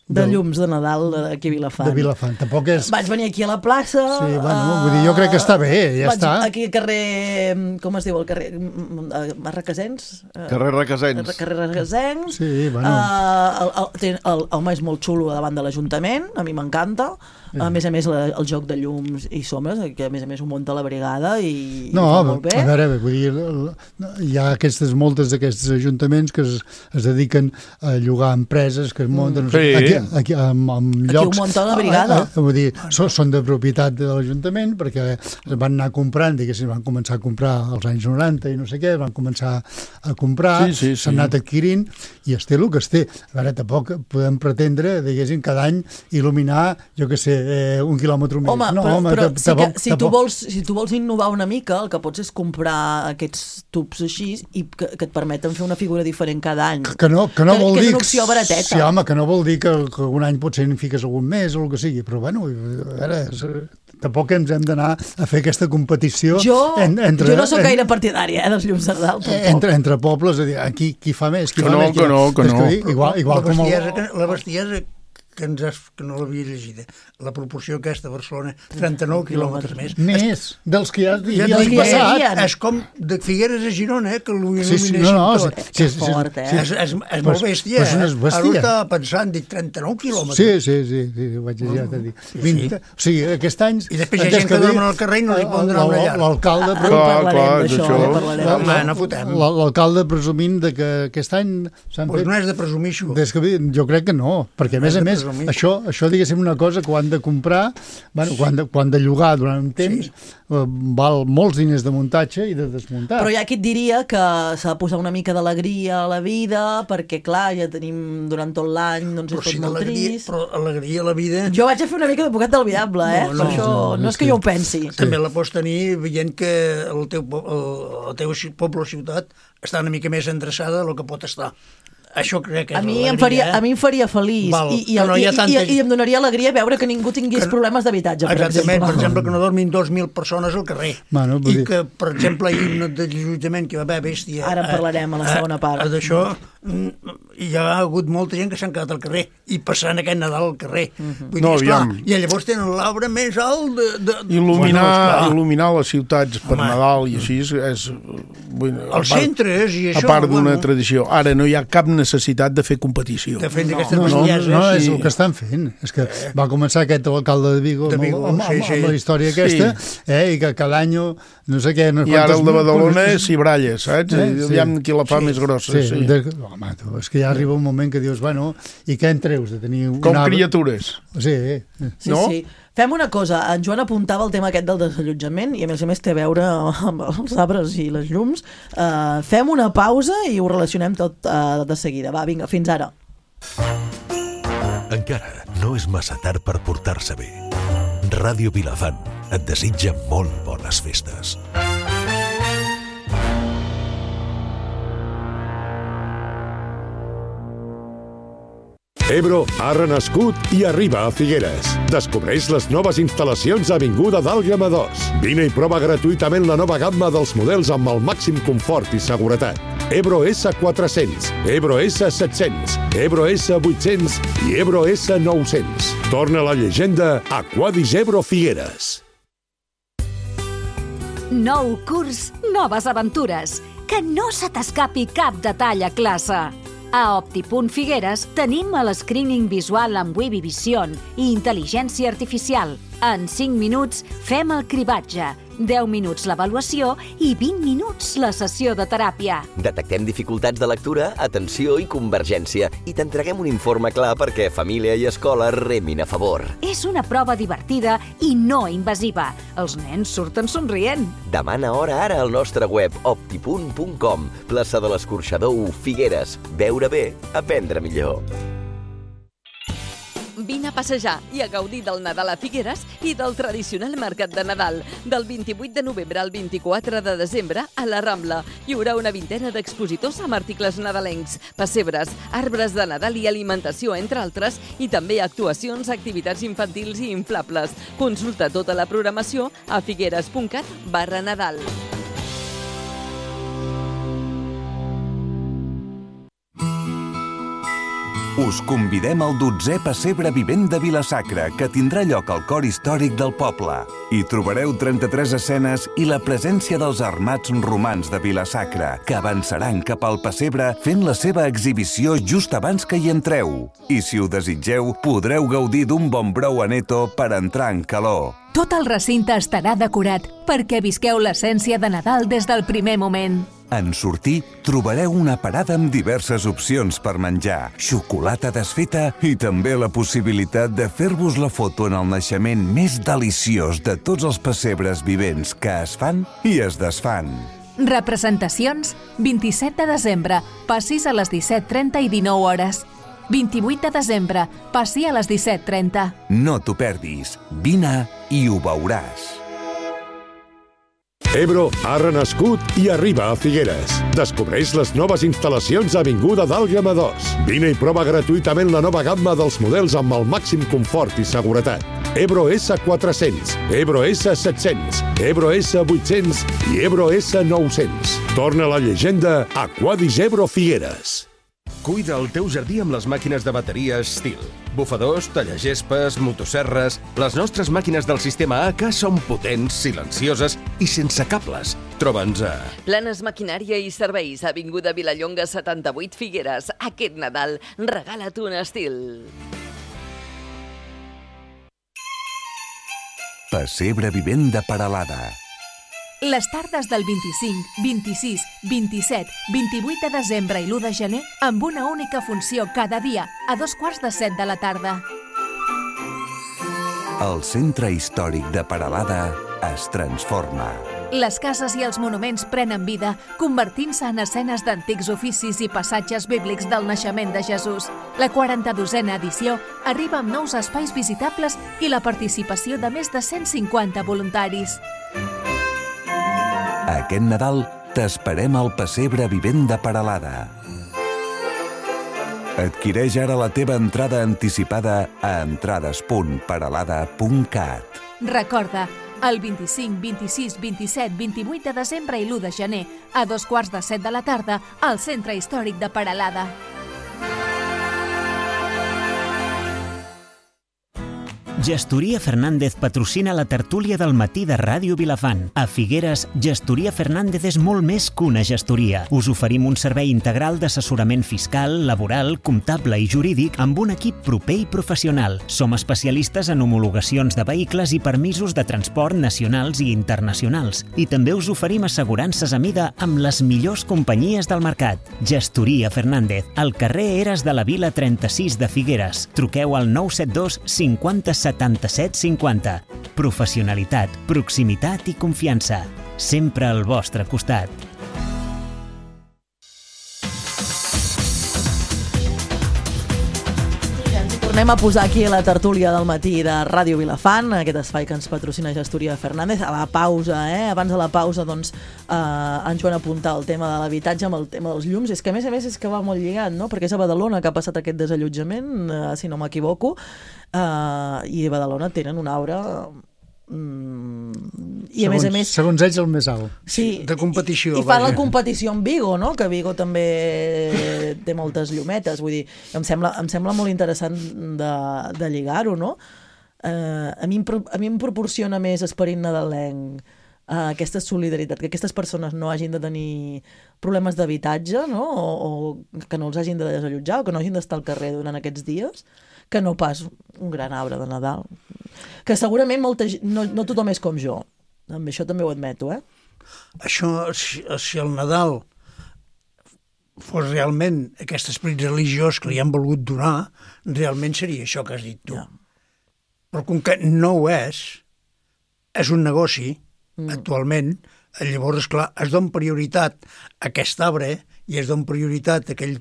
de llums de Nadal aquí a Vilafant. De Vilafant. Tampoc és... Vaig venir aquí a la plaça... Sí, bueno, vull dir, jo crec que està bé, ja vaig està. Aquí al carrer... Com es diu el carrer? Requesens? Carrer Requesens. Carrer Requesens. Sí, bueno. Uh, el, el, el, el home és molt xulo davant de l'Ajuntament, a mi m'encanta. A més a més, la, el joc de llums i sombres, que a més a més ho munta la brigada i, no, i fa molt bé. A veure, vull dir, hi ha aquestes, moltes d'aquests ajuntaments que es, es dediquen a llogar empreses que es munten... Sí. Aquí, aquí, amb, amb aquí llocs, ho munta la brigada. A, a, vull dir, són, són de propietat de l'Ajuntament perquè es van anar comprant, diguéssim, van començar a comprar als anys noranta i no sé què, van començar a comprar, sí, sí, s'han sí. anat adquirint i es té el que es té. A veure, tampoc podem pretendre, diguéssim, cada any il·luminar, jo què sé, eh, un quilòmetre més. Home, no, però, home, però tampoc, sí que, si, tu tampoc. vols, si tu vols innovar una mica, el que pots és comprar aquests tubs així i que, que et permeten fer una figura diferent cada any. Que no, que no que, vol que dir... és una opció barateta. Sí, home, que no vol dir que, que un any potser en fiques algun més o el que sigui, però bueno, a veure, és, tampoc ens hem d'anar a fer aquesta competició jo, en, entre... Jo no sóc en, gaire partidària eh, dels llums de Nadal, tampoc. Entre, entre pobles, a dir, aquí qui fa més, qui que fa no, més... Que no, que no, que igual, igual la, com bestiesa, el... que, la bestiesa que, ens has, que no l'havia llegida, la proporció aquesta a Barcelona, trenta-nou quilòmetres més. Més, dels que ja, ja ja l'any passat. ja és com de Figueres a Girona, eh, que l'il·luminessin sí, sí, no, no, tot. Sí, sí, sí, fort, eh? sí. És, és, és molt bèstia, pues, pues eh? bèstia. Ara ho estava pensant, dic trenta-nou quilòmetres. Sí, sí, sí, sí, ho vaig llegir, oh, dir. Sí, vint, sí. O sigui, aquest any... I després hi ha gent que dormen al carrer i no li poden donar una llar. L'alcalde... Ah, parlarem d'això, eh, parlarem. Home, no fotem. L'alcalde presumint de que aquest any s'han pues fet... no és de presumir, això. Des que, jo crec que no, perquè a més a més, això, això diguéssim una cosa que ho han de comprar, bueno, quan, de, quan de llogar durant un temps, sí. eh, val molts diners de muntatge i de desmuntar. Però hi ha qui et diria que s'ha de posar una mica d'alegria a la vida, perquè clar, ja tenim durant tot l'any, doncs és tot molt trist. Però alegria a la vida... Jo vaig a fer una mica d'advocat del diable, eh? No, per no, això no, no és que jo ho pensi. També la pots tenir veient que el teu, el, el teu poble o ciutat està una mica més endreçada del que pot estar. Això crec que és a mi, em faria, eh? a mi em faria feliç Val, i, i, no i, tanta... i, i em donaria alegria veure que ningú tingués que... problemes d'habitatge, per Exactament, exemple. per exemple, que no dormin dos mil persones al carrer. Bueno, I dir... que, per exemple, hi ha un desallotjament que va haver bèstia... Ara en parlarem a la segona part. D'això, hi ha hagut molta gent que s'han quedat al carrer i passant aquest Nadal al carrer. Uh-huh. Vull dir, No, esclar, aviam. i llavors tenen l'arbre més alt de... de... Il·luminar, bueno, il·luminar les ciutats per Home. Nadal i així és... Bueno, Els centres i això... A part d'una bueno, tradició. Ara no hi ha cap necessitat de fer competició. de fet, d'aquestes No, no, bestieses... no, és sí. el que estan fent. És que va començar aquest alcalde de Vigo, De Vigo, amb, amb, sí, amb, sí. amb la història aquesta, Sí. eh, i que cada any, no sé què... No I ara el de Badalona punts- és Cibralles, saps? Eh, Eh, sí. Aviam qui la fa Sí. més grossa. Sí, Sí. de, home, tu, és que ja arriba un moment que dius, bueno, i què en treus de tenir... Com un arbre? criatures. Sí, eh. Sí, no? sí. Fem una cosa, en Joan apuntava el tema aquest del desallotjament i a més a més té a veure amb els arbres i les llums. Uh, fem una pausa i ho relacionem tot uh, de seguida. Va, vinga, fins ara. Encara no és massa tard per portar-se bé. Ràdio Vilafant et desitja molt bones festes. Ebro ha renascut i arriba a Figueres. Descobreix les noves instal·lacions a Avinguda d'Àlgama dos. Vine i prova gratuïtament la nova gamma dels models amb el màxim confort i seguretat. Ebro S quatre-cents, Ebro S set-cents, Ebro S vuit-cents i Ebro S nou-cents. Torna la llegenda a Quadis Ebro Figueres. Nou curs, noves aventures. Que no se t'escapi cap detall a classe. A Optipunt Figueres tenim el screening visual amb Webby Vision i intel·ligència artificial. En cinc minuts fem el cribatge, deu minuts l'avaluació i vint minuts la sessió de teràpia. Detectem dificultats de lectura, atenció i convergència i t'entreguem un informe clar perquè família i escola remin a favor. És una prova divertida i no invasiva. Els nens surten somrient. Demana hora ara al nostre web optipunt punt com. Plaça de l'Escorxador u, Figueres. Veure bé, aprendre millor. Vine a passejar i a gaudir del Nadal a Figueres i del tradicional mercat de Nadal. Del vint-i-vuit de novembre al vint-i-quatre de desembre a la Rambla hi haurà una vintena d'expositors amb articles nadalencs, pessebres, arbres de Nadal i alimentació, entre altres, i també actuacions, activitats infantils i inflables. Consulta tota la programació a figueres punt cat barra Nadal. Us convidem al dotzè Pessebre Vivent de Vila-sacra, que tindrà lloc al cor històric del poble. Hi trobareu trenta-tres escenes i la presència dels armats romans de Vila-sacra, que avançaran cap al pessebre fent la seva exhibició just abans que hi entreu. I si ho desitgeu, podreu gaudir d'un bon brou aneto per entrar en calor. Tot el recinte estarà decorat perquè visqueu l'essència de Nadal des del primer moment. En sortir, trobareu una parada amb diverses opcions per menjar, xocolata desfeta i també la possibilitat de fer-vos la foto en el naixement més deliciós de tots els pessebres vivents que es fan i es desfan. Representacions, vint-i-set de desembre, passis a les disset trenta i dinou hores. vint-i-vuit de desembre, passi a les disset trenta. No t'ho perdis. Vine i ho veuràs. Ebro ha renascut i arriba a Figueres. Descobreix les noves instal·lacions a Avinguda d'Àlguema dos. Vine i prova gratuïtament la nova gamma dels models amb el màxim confort i seguretat. Ebro esse quatre-cents, Ebro esse set-cents, Ebro esse vuit-cents i Ebro esse nou-cents. Torna la llegenda a Quadis Ebro Figueres. Cuida el teu jardí amb les màquines de bateria Stihl. Bufadors, tallagespes, motosserres... Les nostres màquines del sistema A K són potents, silencioses i sense cables. Troba'ns a... Planes Maquinària i Serveis, Avinguda Vilallonga setanta-vuit Figueres. Aquest Nadal, regala't un Stihl. Pessebre Vivent de Peralada. Les tardes del vint-i-cinc, vint-i-sis, vint-i-set, vint-i-vuit de desembre i l'u de gener amb una única funció cada dia, a dos quarts de set de la tarda. El centre històric de Peralada es transforma. Les cases i els monuments prenen vida, convertint-se en escenes d'antics oficis i passatges bíblics del naixement de Jesús. La quaranta-dosena edició arriba amb nous espais visitables i la participació de més de cent cinquanta voluntaris. Aquest Nadal t'esperem al Pessebre Vivent de Peralada. Adquireix ara la teva entrada anticipada a entrades punt peralada punt cat. Recorda, el vint-i-cinc, vint-i-sis, vint-i-set, vint-i-vuit de desembre i l'u de gener, a dos quarts de set de la tarda, al Centre Històric de Peralada. Gestoria Fernández patrocina la tertúlia del matí de Ràdio Vilafant. A Figueres, Gestoria Fernández és molt més que una gestoria. Us oferim un servei integral d'assessorament fiscal, laboral, comptable i jurídic amb un equip proper i professional. Som especialistes en homologacions de vehicles i permisos de transport nacionals i internacionals. I també us oferim assegurances a mida amb les millors companyies del mercat. Gestoria Fernández, al carrer Eres de la Vila trenta-sis de Figueres. Truqueu al nou set dos cinquanta setanta-set cinquanta. Professionalitat, proximitat i confiança. Sempre al vostre costat. Tornem a posar aquí la tertúlia del matí de Ràdio Vilafant, aquest espai que ens patrocina Gestoria Fernández. A la pausa, eh? Abans de la pausa, doncs, eh, ens van apuntar el tema de l'habitatge amb el tema dels llums. És que, a més a més, és que va molt lligat, no? Perquè és a Badalona que ha passat aquest desallotjament, eh, si no m'equivoco, eh, i a Badalona tenen una aura... Mm, i a segons, més a més segons ells el més alt, sí, de competició, i, i fan la competició amb Vigo, no? Que Vigo també té moltes llumetes, vull dir, em sembla, em sembla molt interessant de, de lligar-ho, no? Eh, a, mi, a mi em proporciona més esperit nadalenc eh, aquesta solidaritat, que aquestes persones no hagin de tenir problemes d'habitatge, no? O, o que no els hagin de desallotjar, o que no hagin d'estar al carrer durant aquests dies, que no pas un gran arbre de Nadal. Que segurament molta, no, no tothom és com jo. Amb això també ho admeto, eh? Això, si, si el Nadal fos realment aquest esperit religiós que li han volgut donar, realment seria això que has dit tu. Ja. Però com que no ho és, és un negoci, mm. actualment, llavors, esclar, es dona prioritat a aquest arbre i es dona prioritat a aquell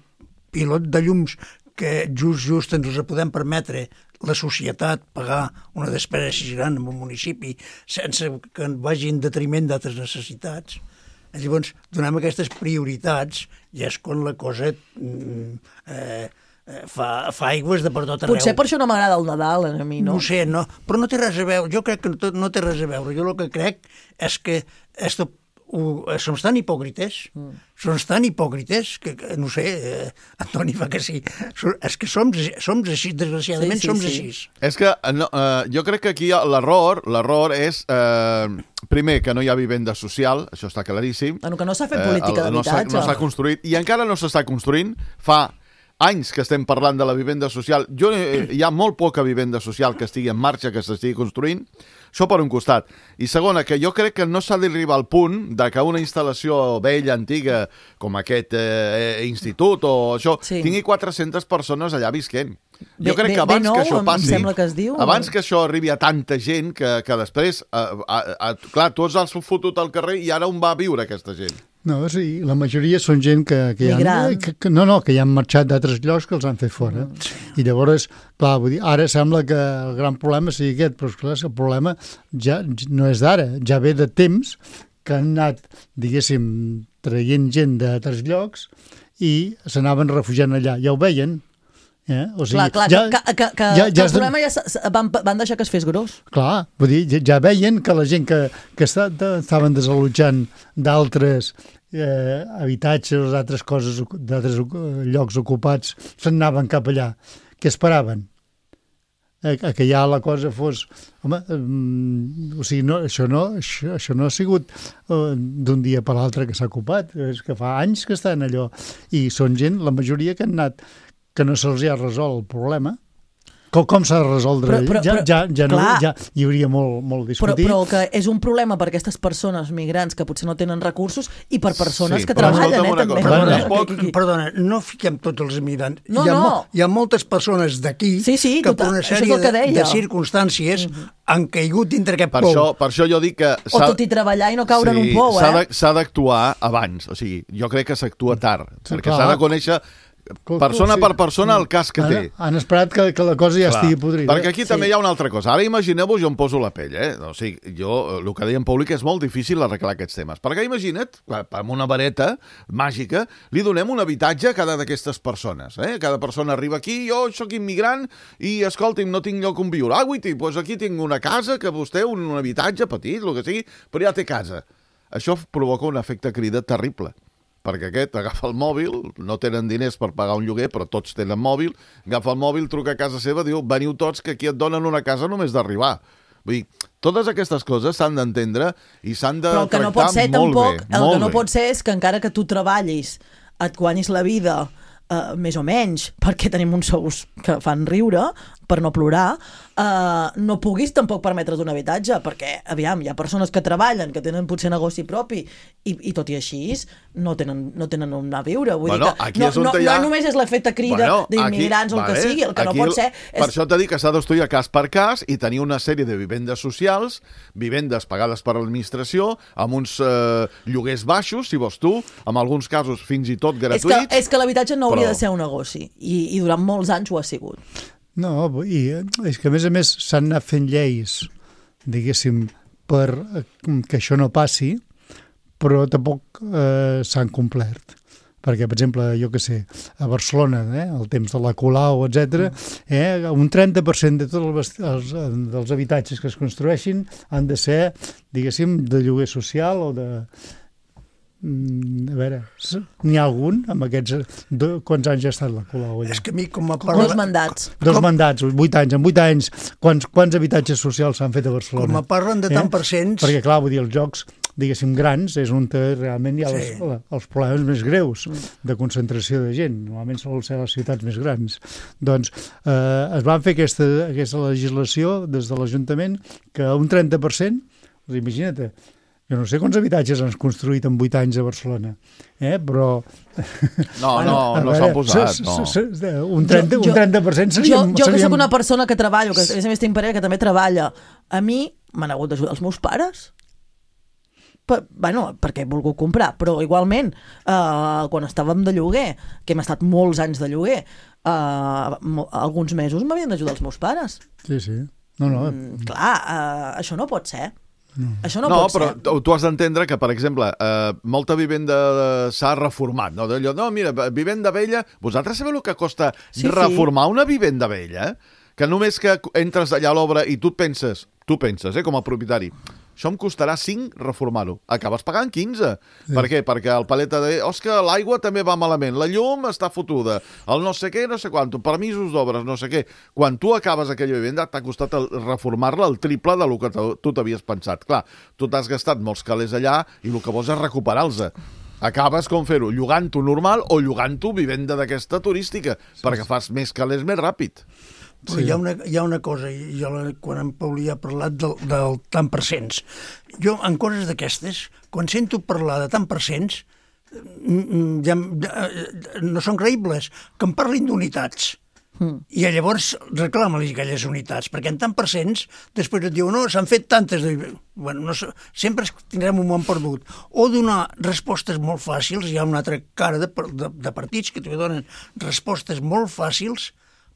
pilot de llums que just, just ens ho podem permetre la societat pagar una despesa així gran en un municipi sense que vagi en detriment d'altres necessitats. Llavors, donem aquestes prioritats i és quan la cosa eh, fa, fa aigües de per tot arreu. Potser per això no m'agrada el Nadal, a mi, no? No sé, no, però no té res a veure. Jo crec que no, no té res a veure. Jo el que crec és que és som tan hipòcrites, mm. som tan hipòcrites que, que no sé, eh, Antoni fa que sí. És que som, som així, desgraciadament sí, sí, som sí. així. És que no, eh, jo crec que aquí l'error, l'error és, eh, primer, que no hi ha vivenda social, això està claríssim. Bueno, que no s'ha fet política eh, d'habitatge. No s'ha construït, i encara no s'està construint. Fa anys que estem parlant de la vivenda social. Jo, eh, hi ha molt poca vivenda social que estigui en marxa, que s'estigui construint. Això per un costat. I segona, que jo crec que no s'ha d'arribar al punt de que una instal·lació vella, antiga, com aquest eh, institut o això, sí. tingui quatre-centes persones allà visquent. Jo bé, crec bé, que abans nou, que això passi, em sembla que es diu, abans o... que això arribi a tanta gent, que, que després, eh, eh, eh, clar, tu els has fotut al carrer i ara on va a viure aquesta gent? No, sí, la majoria són gent que, que, han, que, que no, no, que ja han marxat d'altres llocs que els han fet fora. Mm. I llavors, clar, vull dir, ara sembla que el gran problema sigui aquest, però esclar, el problema ja no és d'ara, ja ve de temps que han anat, diguéssim, traient gent d'altres llocs i s'anaven refugiant allà. Ja ho veien. Eh? O sigui, clar, clar, ja, que, que, que, ja, que ja el problema ja van, van deixar que es fes gros. Clar, vull dir, ja, ja veien que la gent que, que està, estaven desallotjant d'altres eh, habitatges, d'altres coses, d'altres llocs ocupats, se'n anaven cap allà. Què esperaven? Eh, que ja la cosa fos... Home, mm, o sigui, no, això, no, això, això no ha sigut uh, d'un dia per l'altre que s'ha ocupat, és que fa anys que estan allò. I són gent, la majoria que han anat que no se'ls ha resolt el problema. Com, com s'ha de resoldre? Però, però, ja, ja, ja, no, ja hi hauria molt, molt discutit. Però, però que és un problema per aquestes persones migrants que potser no tenen recursos i per persones sí, que treballen, eh, també. Perdona, no, perdona, no fiquem tots els migrants. No, hi, ha, no. hi ha moltes persones d'aquí sí, sí, que tota, per una sèrie de, de circumstàncies mm-hmm. han caigut dintre aquest per pou. Això, per això jo dic que... O tot i treballar i no caure sí, en un pou, eh? S'ha d'actuar abans. O sigui, jo crec que s'actua tard. Sí, perquè s'ha de conèixer... persona per persona el cas que té. Han, han esperat que, que la cosa ja Clar, estigui podrida. Perquè aquí sí. també hi ha una altra cosa. Ara imagineu-vos, jo em poso la pell, eh? O sigui, jo, el que deia en públic és molt difícil arreglar aquests temes. Perquè imagina't, amb una vareta màgica, li donem un habitatge a cada d'aquestes persones. Eh? Cada persona arriba aquí, jo sóc immigrant i, escolti'm, no tinc lloc on viure. Ah, guiti, doncs aquí tinc una casa, que vostè, un, un habitatge petit, el que sigui, però ja té casa. Això provoca un efecte crida terrible. Perquè aquest agafa el mòbil, no tenen diners per pagar un lloguer, però tots tenen mòbil, agafa el mòbil, truca a casa seva, diu, veniu tots, que aquí et donen una casa només d'arribar. Vull dir, totes aquestes coses s'han d'entendre i s'han de tractar no pot ser, molt tampoc, bé. El molt que no bé. pot ser és que encara que tu treballis, et guanyis la vida, eh, més o menys, perquè tenim uns sous que fan riure, per no plorar, eh, no puguis tampoc permetre's un habitatge, perquè, aviam, hi ha persones que treballen, que tenen potser negoci propi, i, i tot i així no tenen, no tenen on anar a viure. Vull bueno, dir que no, no, ha... no només és l'efecte crida bueno, d'immigrants o el vale, que sigui, el que aquí, no pot ser... És... Per això t'he dit que s'ha d'estudiar cas per cas i tenir una sèrie de vivendes socials, vivendes pagades per l'administració, amb uns eh, lloguers baixos, si vols tu, en alguns casos fins i tot gratuïts... És que, és que l'habitatge no hauria però... de ser un negoci, i, i durant molts anys ho ha sigut. No, i és que a més a més s'han anat fent lleis, diguéssim, per que això no passi, però tampoc eh, s'han complert. Perquè, per exemple, jo què sé, a Barcelona, eh, el temps de la Colau, etcètera, eh, un trenta per cent de tots els, els, dels habitatges que es construeixin han de ser, diguéssim, de lloguer social o de... A veure, n'hi ha algun amb aquests... Do, quants anys ha estat la Colau allà? És que a mi com a parla... Dos mandats. Dos com... mandats, vuit anys. En vuit anys, quants, quants habitatges socials s'han fet a Barcelona? Com a parlen de tant eh? per cents... Perquè, clar, vull dir, els jocs, diguéssim, grans, és on realment hi ha sí. les, els problemes més greus de concentració de gent. Normalment solen ser les ciutats més grans. Doncs eh, es van fer aquesta, aquesta legislació des de l'Ajuntament que un trenta per cent, doncs imagina't, jo no sé quants habitatges han construït en vuit anys a Barcelona, eh? Però... No, no, no s'han posat, no. Un trenta, un trenta per cent seríem... Jo, jo que sóc una persona que treballo, que a més a més tinc parella que també treballa, a mi m'han hagut d'ajudar els meus pares. Per, bueno, perquè he volgut comprar, però igualment, eh, quan estàvem de lloguer, que hem estat molts anys de lloguer, eh, alguns mesos m'havien d'ajudar els meus pares. Sí, sí. No, no. Mm, clar, eh, això no pot ser. No. Això no, no pot però ser. Tu has d'entendre que, per exemple, eh, molta vivenda s'ha reformat. No? D'allò, no, mira, vivenda vella... Vosaltres sabeu el que costa sí, reformar sí. una vivenda vella? Que només que entres allà a l'obra i tu penses, tu penses, eh, com a propietari, això em costarà cinc reformar-ho. Acabes pagant quinze. Sí. Per què? Perquè el paleta de... Òscar, l'aigua també va malament, la llum està fotuda, el no sé què, no sé quant, permisos d'obres, no sé què. Quan tu acabes aquella vivenda, t'ha costat el, reformar-la el triple del que tu t'havies pensat. Clar, tu t'has gastat molts calés allà i el que vols és recuperar-los. Acabes com fer-ho? Llogant-ho normal o llogant-ho vivenda d'aquesta turística, sí, perquè sí. fas més calés més ràpid. Però sí. hi, ha una, hi ha una cosa, i jo quan en Paulí ha parlat del, del tant per cents, jo en coses d'aquestes, quan sento parlar de tant per cents, ja, no són creïbles, que em parlin d'unitats. Mm. I llavors reclama-li aquelles unitats, perquè en tant per cents després et diu, no, s'han fet tantes... Bueno, no, sempre tindrem un món perdut. O donar respostes molt fàcils, hi ha una altra cara de, de, de partits que també donen respostes molt fàcils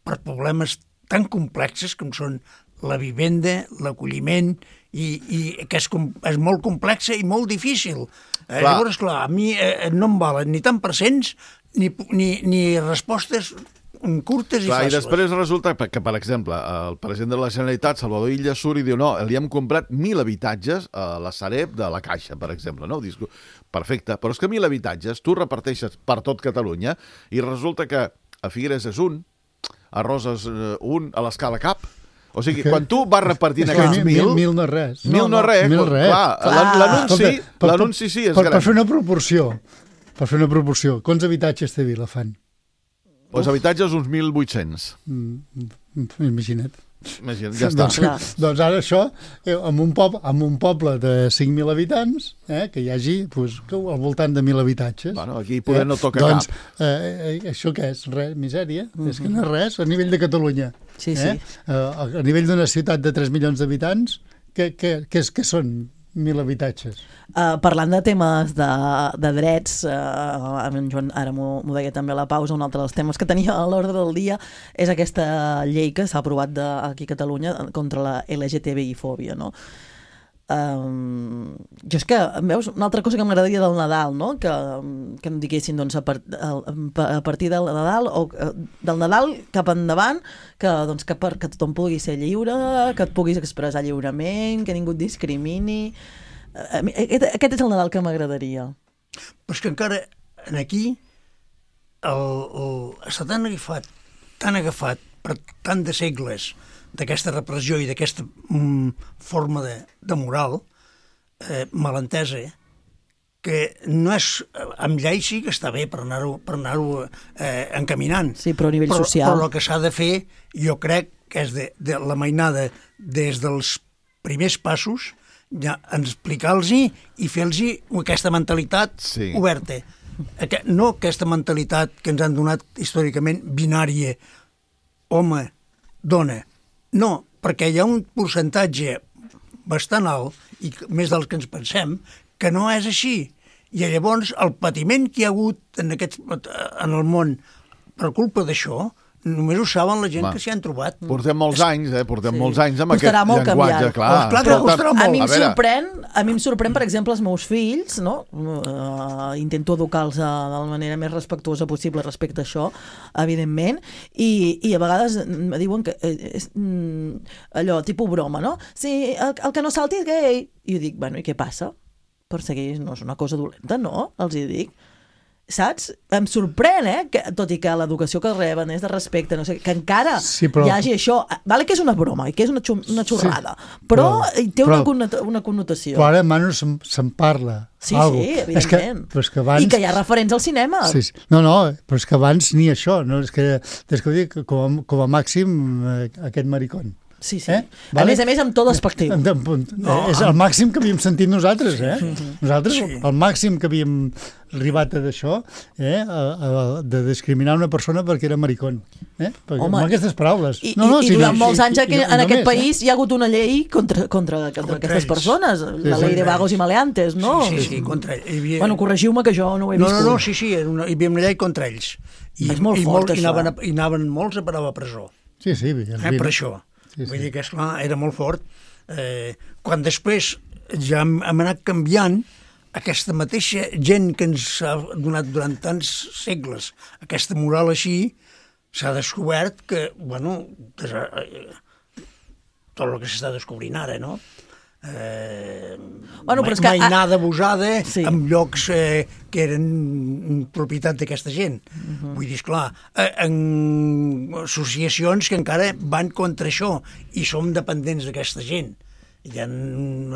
per problemes tan complexes com són la vivenda, l'acolliment, i, i que és, és molt complexa i molt difícil. Eh, llavors, clar, a mi eh, no em valen ni tant per cents ni, ni, ni respostes curtes i clar, fàcils. I després resulta que, per exemple, el president de la Generalitat, Salvador Illa, surt i diu no, li hem comprat mil habitatges a la Sareb de la Caixa, per exemple. No? Dius, perfecte, però és que mil habitatges tu reparteixes per tot Catalunya i resulta que a Figueres és un, a Roses un, a l'Escala cap. O sigui, okay. quan tu vas repartint aquests mil... Mil, mil no és res. Mil no, no res. Mil res. L'anunci l'anunci sí és per, gran. Per fer una proporció, per fer una proporció, quants habitatges té Vilafant? Els habitatges uns mil vuit-cents. Mm, imagina't. Imagina't, ja està. Doncs, doncs ara això, en un, poble, en un poble de cinc mil habitants, eh, que hi hagi pues, al voltant de mil habitatges. Bueno, aquí poder eh, no toca doncs, cap. Eh, això què és? Res, misèria? Mm-hmm. És que no és res, a nivell de Catalunya. Sí, eh? sí. Eh, a nivell d'una ciutat de tres milions d'habitants, què, què, què, què són mil habitatges? Uh, parlant de temes de, de drets, uh, en Joan ara m'ho deia també a la pausa, un altre dels temes que tenia a l'ordre del dia és aquesta llei que s'ha aprovat de, aquí a Catalunya contra la L G T B I-fòbia, no? Um, jo és que, veus, una altra cosa que m'agradaria del Nadal, no? Que, que em diguessin doncs, a, part, a partir del Nadal o del Nadal cap endavant que, doncs, que, per, que tothom pugui ser lliure, que et puguis expressar lliurement, que ningú et discrimini. Aquest és el Nadal que m'agradaria. Però és que encara aquí el, el, està tan agafat, tan agafat per tant de segles d'aquesta repressió i d'aquesta mm, forma de, de moral eh, malentesa, que no és... Amb llei sí que està bé per anar-ho per anar-ho eh, encaminant. Sí, però a nivell però, social. Però el que s'ha de fer, jo crec que és de, de la mainada des dels primers passos, ja explicar-los i fer-los aquesta mentalitat sí. oberta. Aqu no aquesta mentalitat que ens han donat històricament binària, home, dona. No, perquè hi ha un percentatge bastant alt, i més dels que ens pensem, que no és així. I llavors el patiment que hi ha hagut en, aquest, en el món per culpa d'això, només ho saben la gent Va. que s'hi han trobat. Portem molts anys, eh? Portem sí. molts anys amb costarà aquest llenguatge, clar. Oh, clar que costarà molt. A mi em sorprèn, a mi em sorprèn, per exemple, els meus fills, no? Uh, intento educar-los de la manera més respectuosa possible respecte a això, evidentment, i, i a vegades em diuen que és mm, allò, tipus broma, no? Sí, el, el que no salti és gay. I jo dic, bueno, i què passa? Perseguir no és una cosa dolenta, no? Els hi dic. Saps? Em sorprèn, eh? Que, tot i que l'educació que reben és de respecte, no sé, que encara sí, però... hi hagi això. Vale que és una broma i que és una, una xorrada, sí, però, però té una, però, una connotació. Però ara, Manu, se'n se parla. Sí, algo. Sí, evidentment. És que, però és que abans... I que hi ha referents al cinema. Sí, sí. No, no, però és que abans ni això. No? És que, és que dic, com, a, com a màxim, eh, aquest maricón. Sí, sí. Eh? Vale? A més a més, amb tot despectiu. No, és el màxim que havíem sentit nosaltres, eh? Sí. Nosaltres, sí. el màxim que havíem arribat a d'això, eh? A, a, de discriminar una persona perquè era maricón. Eh? Perquè, amb aquestes paraules. I, no, no, i, i durant si no, molts anys i, i, en aquest només, país eh? hi ha hagut una llei contra, contra, contra, contra aquestes ells. persones, sí, la llei de vagos i maleantes, no? Sí, sí, sí contra ells. Havia... Bueno, corregiu-me que jo no ho he no, vist. No, no, sí, sí, una, hi havia una llei contra ells. I, és molt i fort, molt, això. I anaven, a, i anaven molts a parar a la presó. Sí, sí. Eh, per això. Sí, sí. Vull dir que, esclar, era molt fort. Eh, quan després ja hem, hem anat canviant, aquesta mateixa gent que ens ha donat durant tants segles aquesta moral així, s'ha descobert que, bueno, tot el que s'està descobrint ara, no? eh, bueno, però és que, que, mainada abusada sí. en llocs eh, que eren propietat d'aquesta gent. Uh-huh. Vull dir, esclar, eh, en associacions que encara van contra això i som dependents d'aquesta gent. Hi ha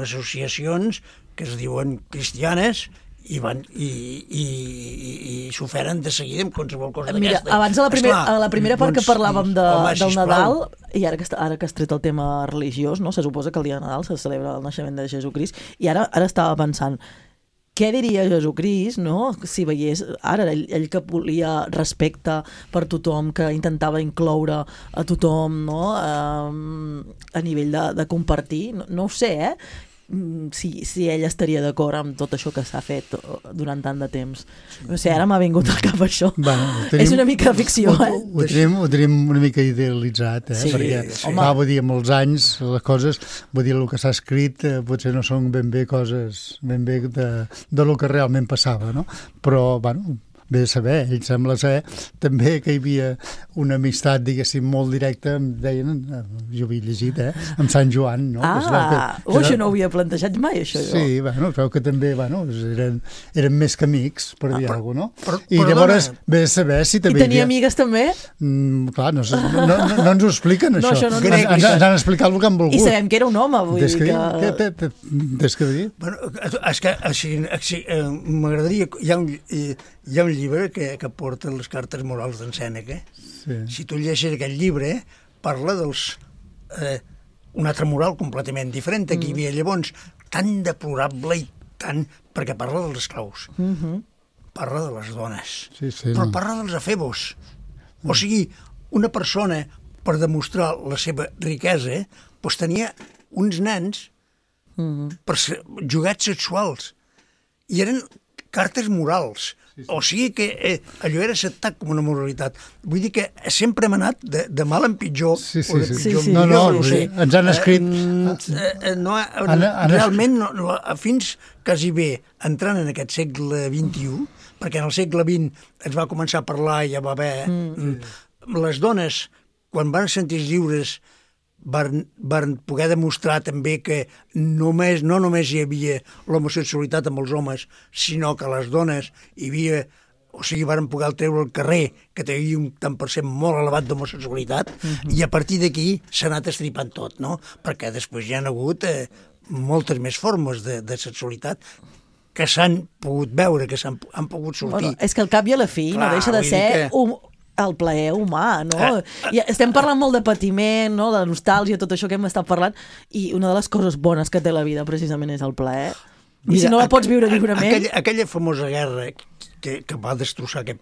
associacions que es diuen cristianes i van i, i, i, i s'oferen de seguida amb qualsevol cosa Mira, d'aquesta. abans a la, primer, Esclar, a la primera part doncs, que parlàvem de, home, del sisplau. Nadal, i ara que, ara que has tret el tema religiós, no? Se suposa que el dia de Nadal se celebra el naixement de Jesucrist, i ara ara estava pensant, què diria Jesucrist, no? Si veiés, ara, ell, ell que volia respecte per tothom, que intentava incloure a tothom, no? A, a nivell de, de compartir, no, no ho sé, eh? Si, si ell estaria d'acord amb tot això que s'ha fet durant tant de temps. No sé, ara m'ha vingut al cap això. Bueno, tenim, és una mica de ficció, ho, eh? Ho, ho, tenim, ho tenim una mica idealitzat, eh? Sí, perquè, sí. va, vull dir, molts anys les coses, vull dir, el que s'ha escrit eh, potser no són ben bé coses ben bé de, de lo que realment passava, no? Però, bueno, bé de saber, ell sembla ser també que hi havia una amistat, diguéssim, molt directa, em deien, jo ho havia llegit, eh, amb Sant Joan, no? Ah, que, que, oh, això no ho havia plantejat mai, això. Sí, jo. bueno, es veu que també, bueno, eren, eren més que amics, per ah, dir alguna cosa, no? Però, I perdona. llavors, bé de saber si també... I tenia havia... amigues també? Mm, clar, no, no, no, no ens ho expliquen, no, això. això no, no, ens, ens, ens han explicat el que han volgut. I sabem que era un home, vull des dir que... que... que, que, que des que dir. Bueno, és que així, així, eh, m'agradaria... Hi ha un, hi ha un llibre que, que porta les cartes morals d'en Sèneca. Sí. Si tu llegeixes aquest llibre, parla dels... Eh, un altre moral completament diferent que hi havia llavors, tan deplorable i tant... perquè parla dels esclaus. Mm -hmm. Parla de les dones. Sí, sí, però no. parla dels efebos. O sigui, una persona, per demostrar la seva riquesa, doncs tenia uns nens mm -hmm. per ser, jugats sexuals. I eren cartes morals. Sí, sí. O sigui que eh, allò era acceptat com una moralitat. Vull dir que sempre hem anat de, de mal en pitjor, sí, sí, o de sí. pitjor Sí, sí. en No, millor, no, no sé. ens han escrit... Eh, eh, no, han, han realment, no, no, fins quasi bé entrant en aquest segle vint-i-u, perquè en el segle vint es va començar a parlar i ja va haver... Mm. Les dones, quan van sentir lliures, van, van poder demostrar també que només, no només hi havia l'homosexualitat amb els homes, sinó que les dones hi havia, o sigui, van poder treure al carrer que tenia un tant per cent molt elevat d'homosexualitat, uh-huh. i a partir d'aquí s'ha anat estripant tot, no? Perquè després hi ha hagut eh, moltes més formes de, de sexualitat que s'han pogut veure, que s'han han pogut sortir. Bueno, és que al cap i a la fi Clar, no deixa de ser... Que... Un... el plaer humà, no? Eh, eh, I estem parlant molt de patiment, no? De nostàlgia, tot això que hem estat parlant, i una de les coses bones que té la vida precisament és el plaer. I Mira, si no la pots viure lliurement... Aquella, aquella famosa guerra que, que va destrossar aquest,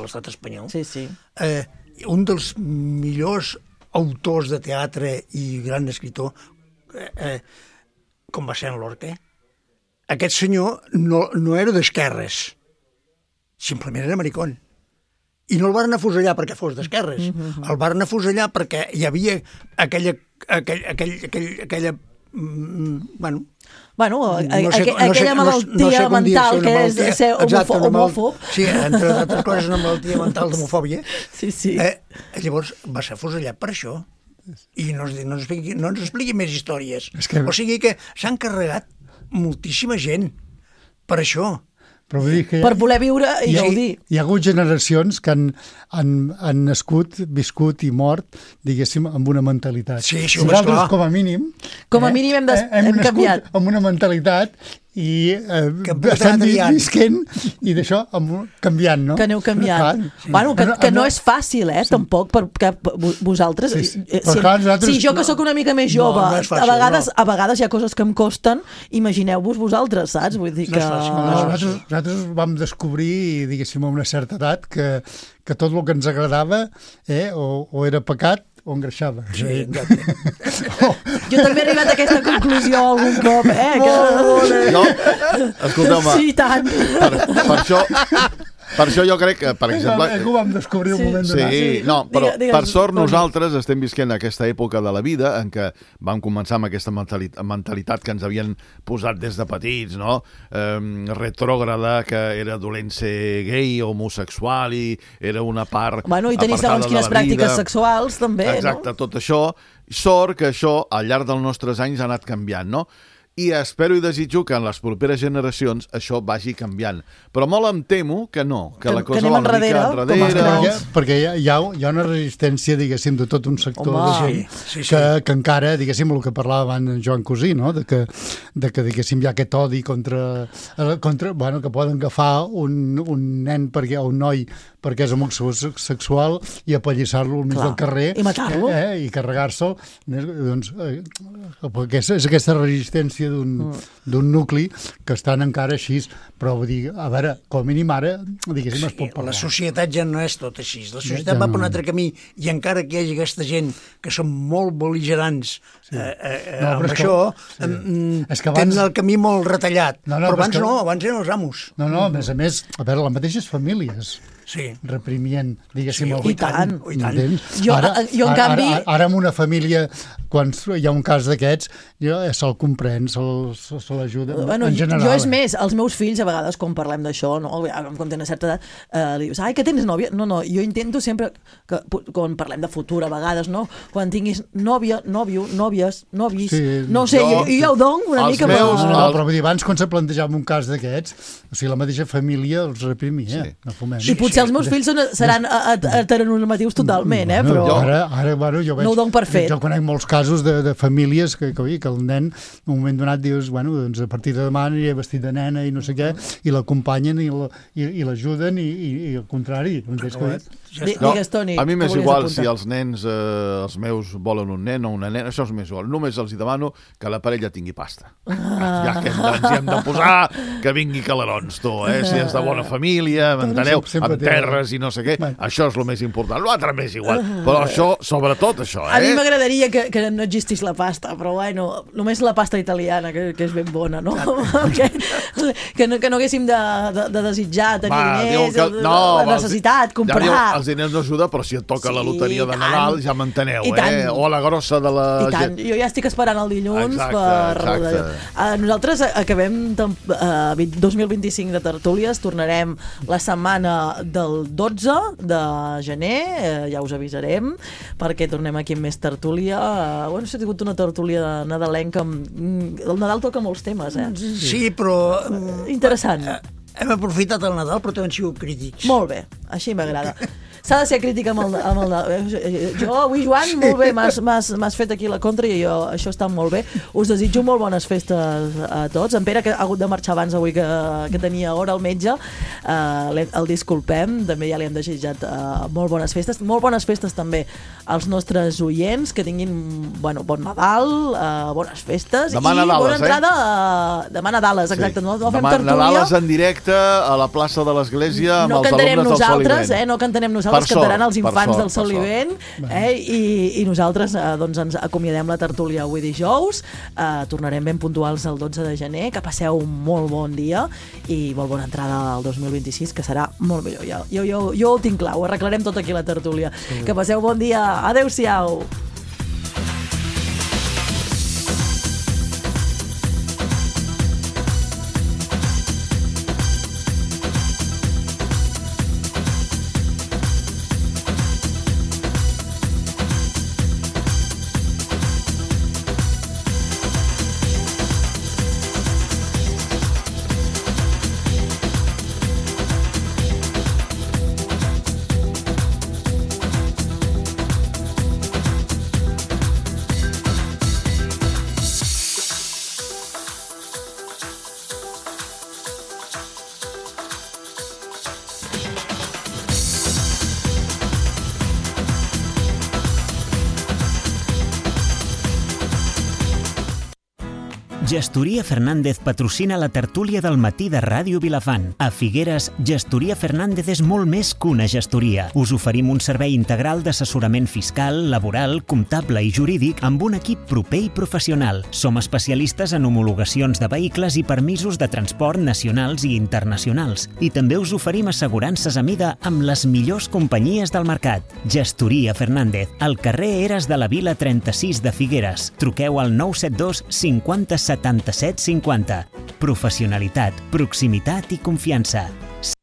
l'estat espanyol, sí, sí. Eh, un dels millors autors de teatre i gran escriptor, eh, eh, com va ser en Lorca, aquest senyor no, no era d'esquerres, simplement era maricón. I no el van afusellar perquè fos d'esquerres. Mm-hmm. El van afusellar perquè hi havia aquella... aquell, aquell, aquell, aquella mm, bueno... Bueno, no sé, aqu no aquella sé, malaltia no sé, no sé mental que és ser exacte, homòfob. Sí, entre altres coses, una malaltia mental d'homofòbia. Sí, sí. Eh, llavors va ser afusellat per això. I no, no, ens expliqui, no ens expliqui més històries. Que... O sigui que s'han carregat moltíssima gent per això. Però vull dir que per voler viure i gaudir. Hi ha hagut generacions que han, han, han nascut, viscut i mort, diguéssim, amb una mentalitat. Sí, això Nosaltres, com a mínim... Com a mínim hem, des, eh, hem, hem canviat. amb una mentalitat i eh, estem visquent i d'això canviant, no? Que aneu canviant. Clar, sí. Bueno, que, que no és fàcil, eh, sí. Tampoc, perquè vosaltres... Sí, sí. Si, clar, nosaltres... si jo que sóc una mica més jove, no, no fàcil, a, vegades, no. a vegades hi ha coses que em costen, imagineu-vos vosaltres, saps? Vull dir que... No és fàcil, no és fàcil. Nosaltres, nosaltres vam descobrir, diguéssim, a una certa edat, que, que tot el que ens agradava eh, o, o era pecat o engreixava. Sí, exacte. oh. Jo també he arribat a aquesta conclusió algun cop, eh? Que... No, escolteu-me. Sí, tant. Per, per això... Per això jo crec que, per exemple... Eh, que ho vam descobrir un moment donat. Sí, no, però per sort nosaltres estem visquent aquesta època de la vida en què vam començar amb aquesta mentalitat que ens havien posat des de petits, no? Eh, retrògrada, que era dolent ser gay o homosexual i era una part bueno, i tenir segons quines pràctiques sexuals, també, no? Exacte, tot això. Sort que això, al llarg dels nostres anys, ha anat canviant, no? I espero i desitjo que en les properes generacions això vagi canviant. Però molt em temo que no, que, que la cosa va una mica enrere. Perquè, perquè hi, ha, hi ha una resistència, diguéssim, de tot un sector de gent sí, sí, sí. Que, que encara, diguéssim, el que parlava abans Joan Cosí, no? de, que, de que, diguéssim, hi ha aquest odi contra... contra bueno, que poden agafar un, un nen perquè, o un noi perquè és homosexual i apallissar-lo al mig del carrer i matar-lo eh, eh, i carregar-se'l doncs, eh, perquè és, és aquesta resistència d'un mm. nucli que estan encara així, però vull dir, a veure, com a mínim ara diguéssim, sí, es pot parlar. La societat ja no és tot així, la societat ja, ja va no. per un altre camí i encara que hi hagi aquesta gent que són molt bel·ligerants sí. eh, eh, no, amb això que, sí. és que abans... tenen el camí molt retallat, no, no, però abans que... no, abans eren els amos. No, no, a més a més, a veure, les mateixes famílies sí. reprimien, diguéssim, sí, el i tant, i tant. Jo, ara, jo, en ara, canvi... Ara, ara en una família, quan hi ha un cas d'aquests, jo se'l comprèn, se'l se, se l'ajuda, bueno, en general. Jo és més, els meus fills, a vegades, quan parlem d'això, no? Quan tenen certa edat, eh, li dius, ai, que tens nòvia? No, no, jo intento sempre, que, quan parlem de futur, a vegades, no? Quan tinguis nòvia, nòvio, nòvies, novis, sí, no sé, jo, jo, jo ja ho dono una mica... Meus, no, no, però vull dir, abans, quan se plantejava un cas d'aquests, o sigui, la mateixa família els reprimia, sí. no fumem. I potser els meus fills són, seran heteronormatius totalment, eh? Però ara, ara bueno, jo veig, no ho dono per fet. Jo conec molts casos de, de famílies que, que, que el nen, en un moment donat, dius, bueno, doncs a partir de demà aniré vestit de nena i no sé què, i l'acompanyen i l'ajuden i, i, i al contrari. No, Toni, a mi m'és igual si els nens, eh, els meus, volen un nen o una nena, això és més igual. Només els hi demano que la parella tingui pasta. Ah. Ja que ens hi hem de posar, que vingui calarons, tu, eh? Si és de bona família, m'enteneu, amb terres i no sé què, això és el més important. L'altre m'és igual, però això, sobretot això, eh? A mi m'agradaria que, que no existís la pasta, però bueno, només la pasta italiana, que, que és ben bona, no? que, que, no que no haguéssim de, de, de desitjar tenir Va, diners, que, no, la necessitat, comprar... Ja, els diners no ajuda, però si et toca sí, la loteria de Nadal, ja m'enteneu, eh? O la grossa de la... I tant, jo ja estic esperant el dilluns exacte, per... Exacte. Uh, nosaltres acabem uh, dos mil vint-i-cinc de tertúlies, tornarem la setmana del dotze de gener, uh, ja us avisarem, perquè tornem aquí amb més tertúlia. Uh, bueno, s'ha tingut una tertúlia nadalenca, amb... el Nadal toca molts temes, eh? Sí, però... Uh, interessant. Hem aprofitat el Nadal, però també han sigut crítics. Molt bé, així m'agrada. S'ha de ser crítica amb el, amb el... Jo avui, Joan, molt bé, m'has fet aquí la contra i jo, això està molt bé. Us desitjo molt bones festes a tots. En Pere, que ha hagut de marxar abans avui, que, que tenia hora al metge, eh, el disculpem, també ja li hem desitjat eh, molt bones festes. Molt bones festes també als nostres oients, que tinguin, bueno, bon Nadal, eh, bones festes demà i Nadales, bona entrada eh? uh, demà Nadales, exacte. Sí. No, no demà Nadales en directe a la plaça de l'Església amb no els alumnes del Sol i Vent. Eh? No cantarem nosaltres, els cantaran els infants del Sol i Vent, eh? I, i nosaltres eh, doncs ens acomiadem la tertúlia avui dijous, eh, tornarem ben puntuals el dotze de gener, que passeu un molt bon dia i molt bona entrada al dos mil vint-i-sis, que serà molt millor. Jo, jo, jo, jo ho tinc clar, ho arreglarem tot aquí la tertúlia. Sí. Que passeu bon dia, adeu-siau. Gestoria Fernández patrocina la tertúlia del matí de Ràdio Vilafant. A Figueres, Gestoria Fernández és molt més que una gestoria. Us oferim un servei integral d'assessorament fiscal, laboral, comptable i jurídic amb un equip proper i professional. Som especialistes en homologacions de vehicles i permisos de transport nacionals i internacionals. I també us oferim assegurances a mida amb les millors companyies del mercat. Gestoria Fernández, al carrer Eres de la Vila trenta-sis de Figueres. Truqueu al nou set dos cinquanta setanta-set cinquanta. Professionalitat, proximitat i confiança.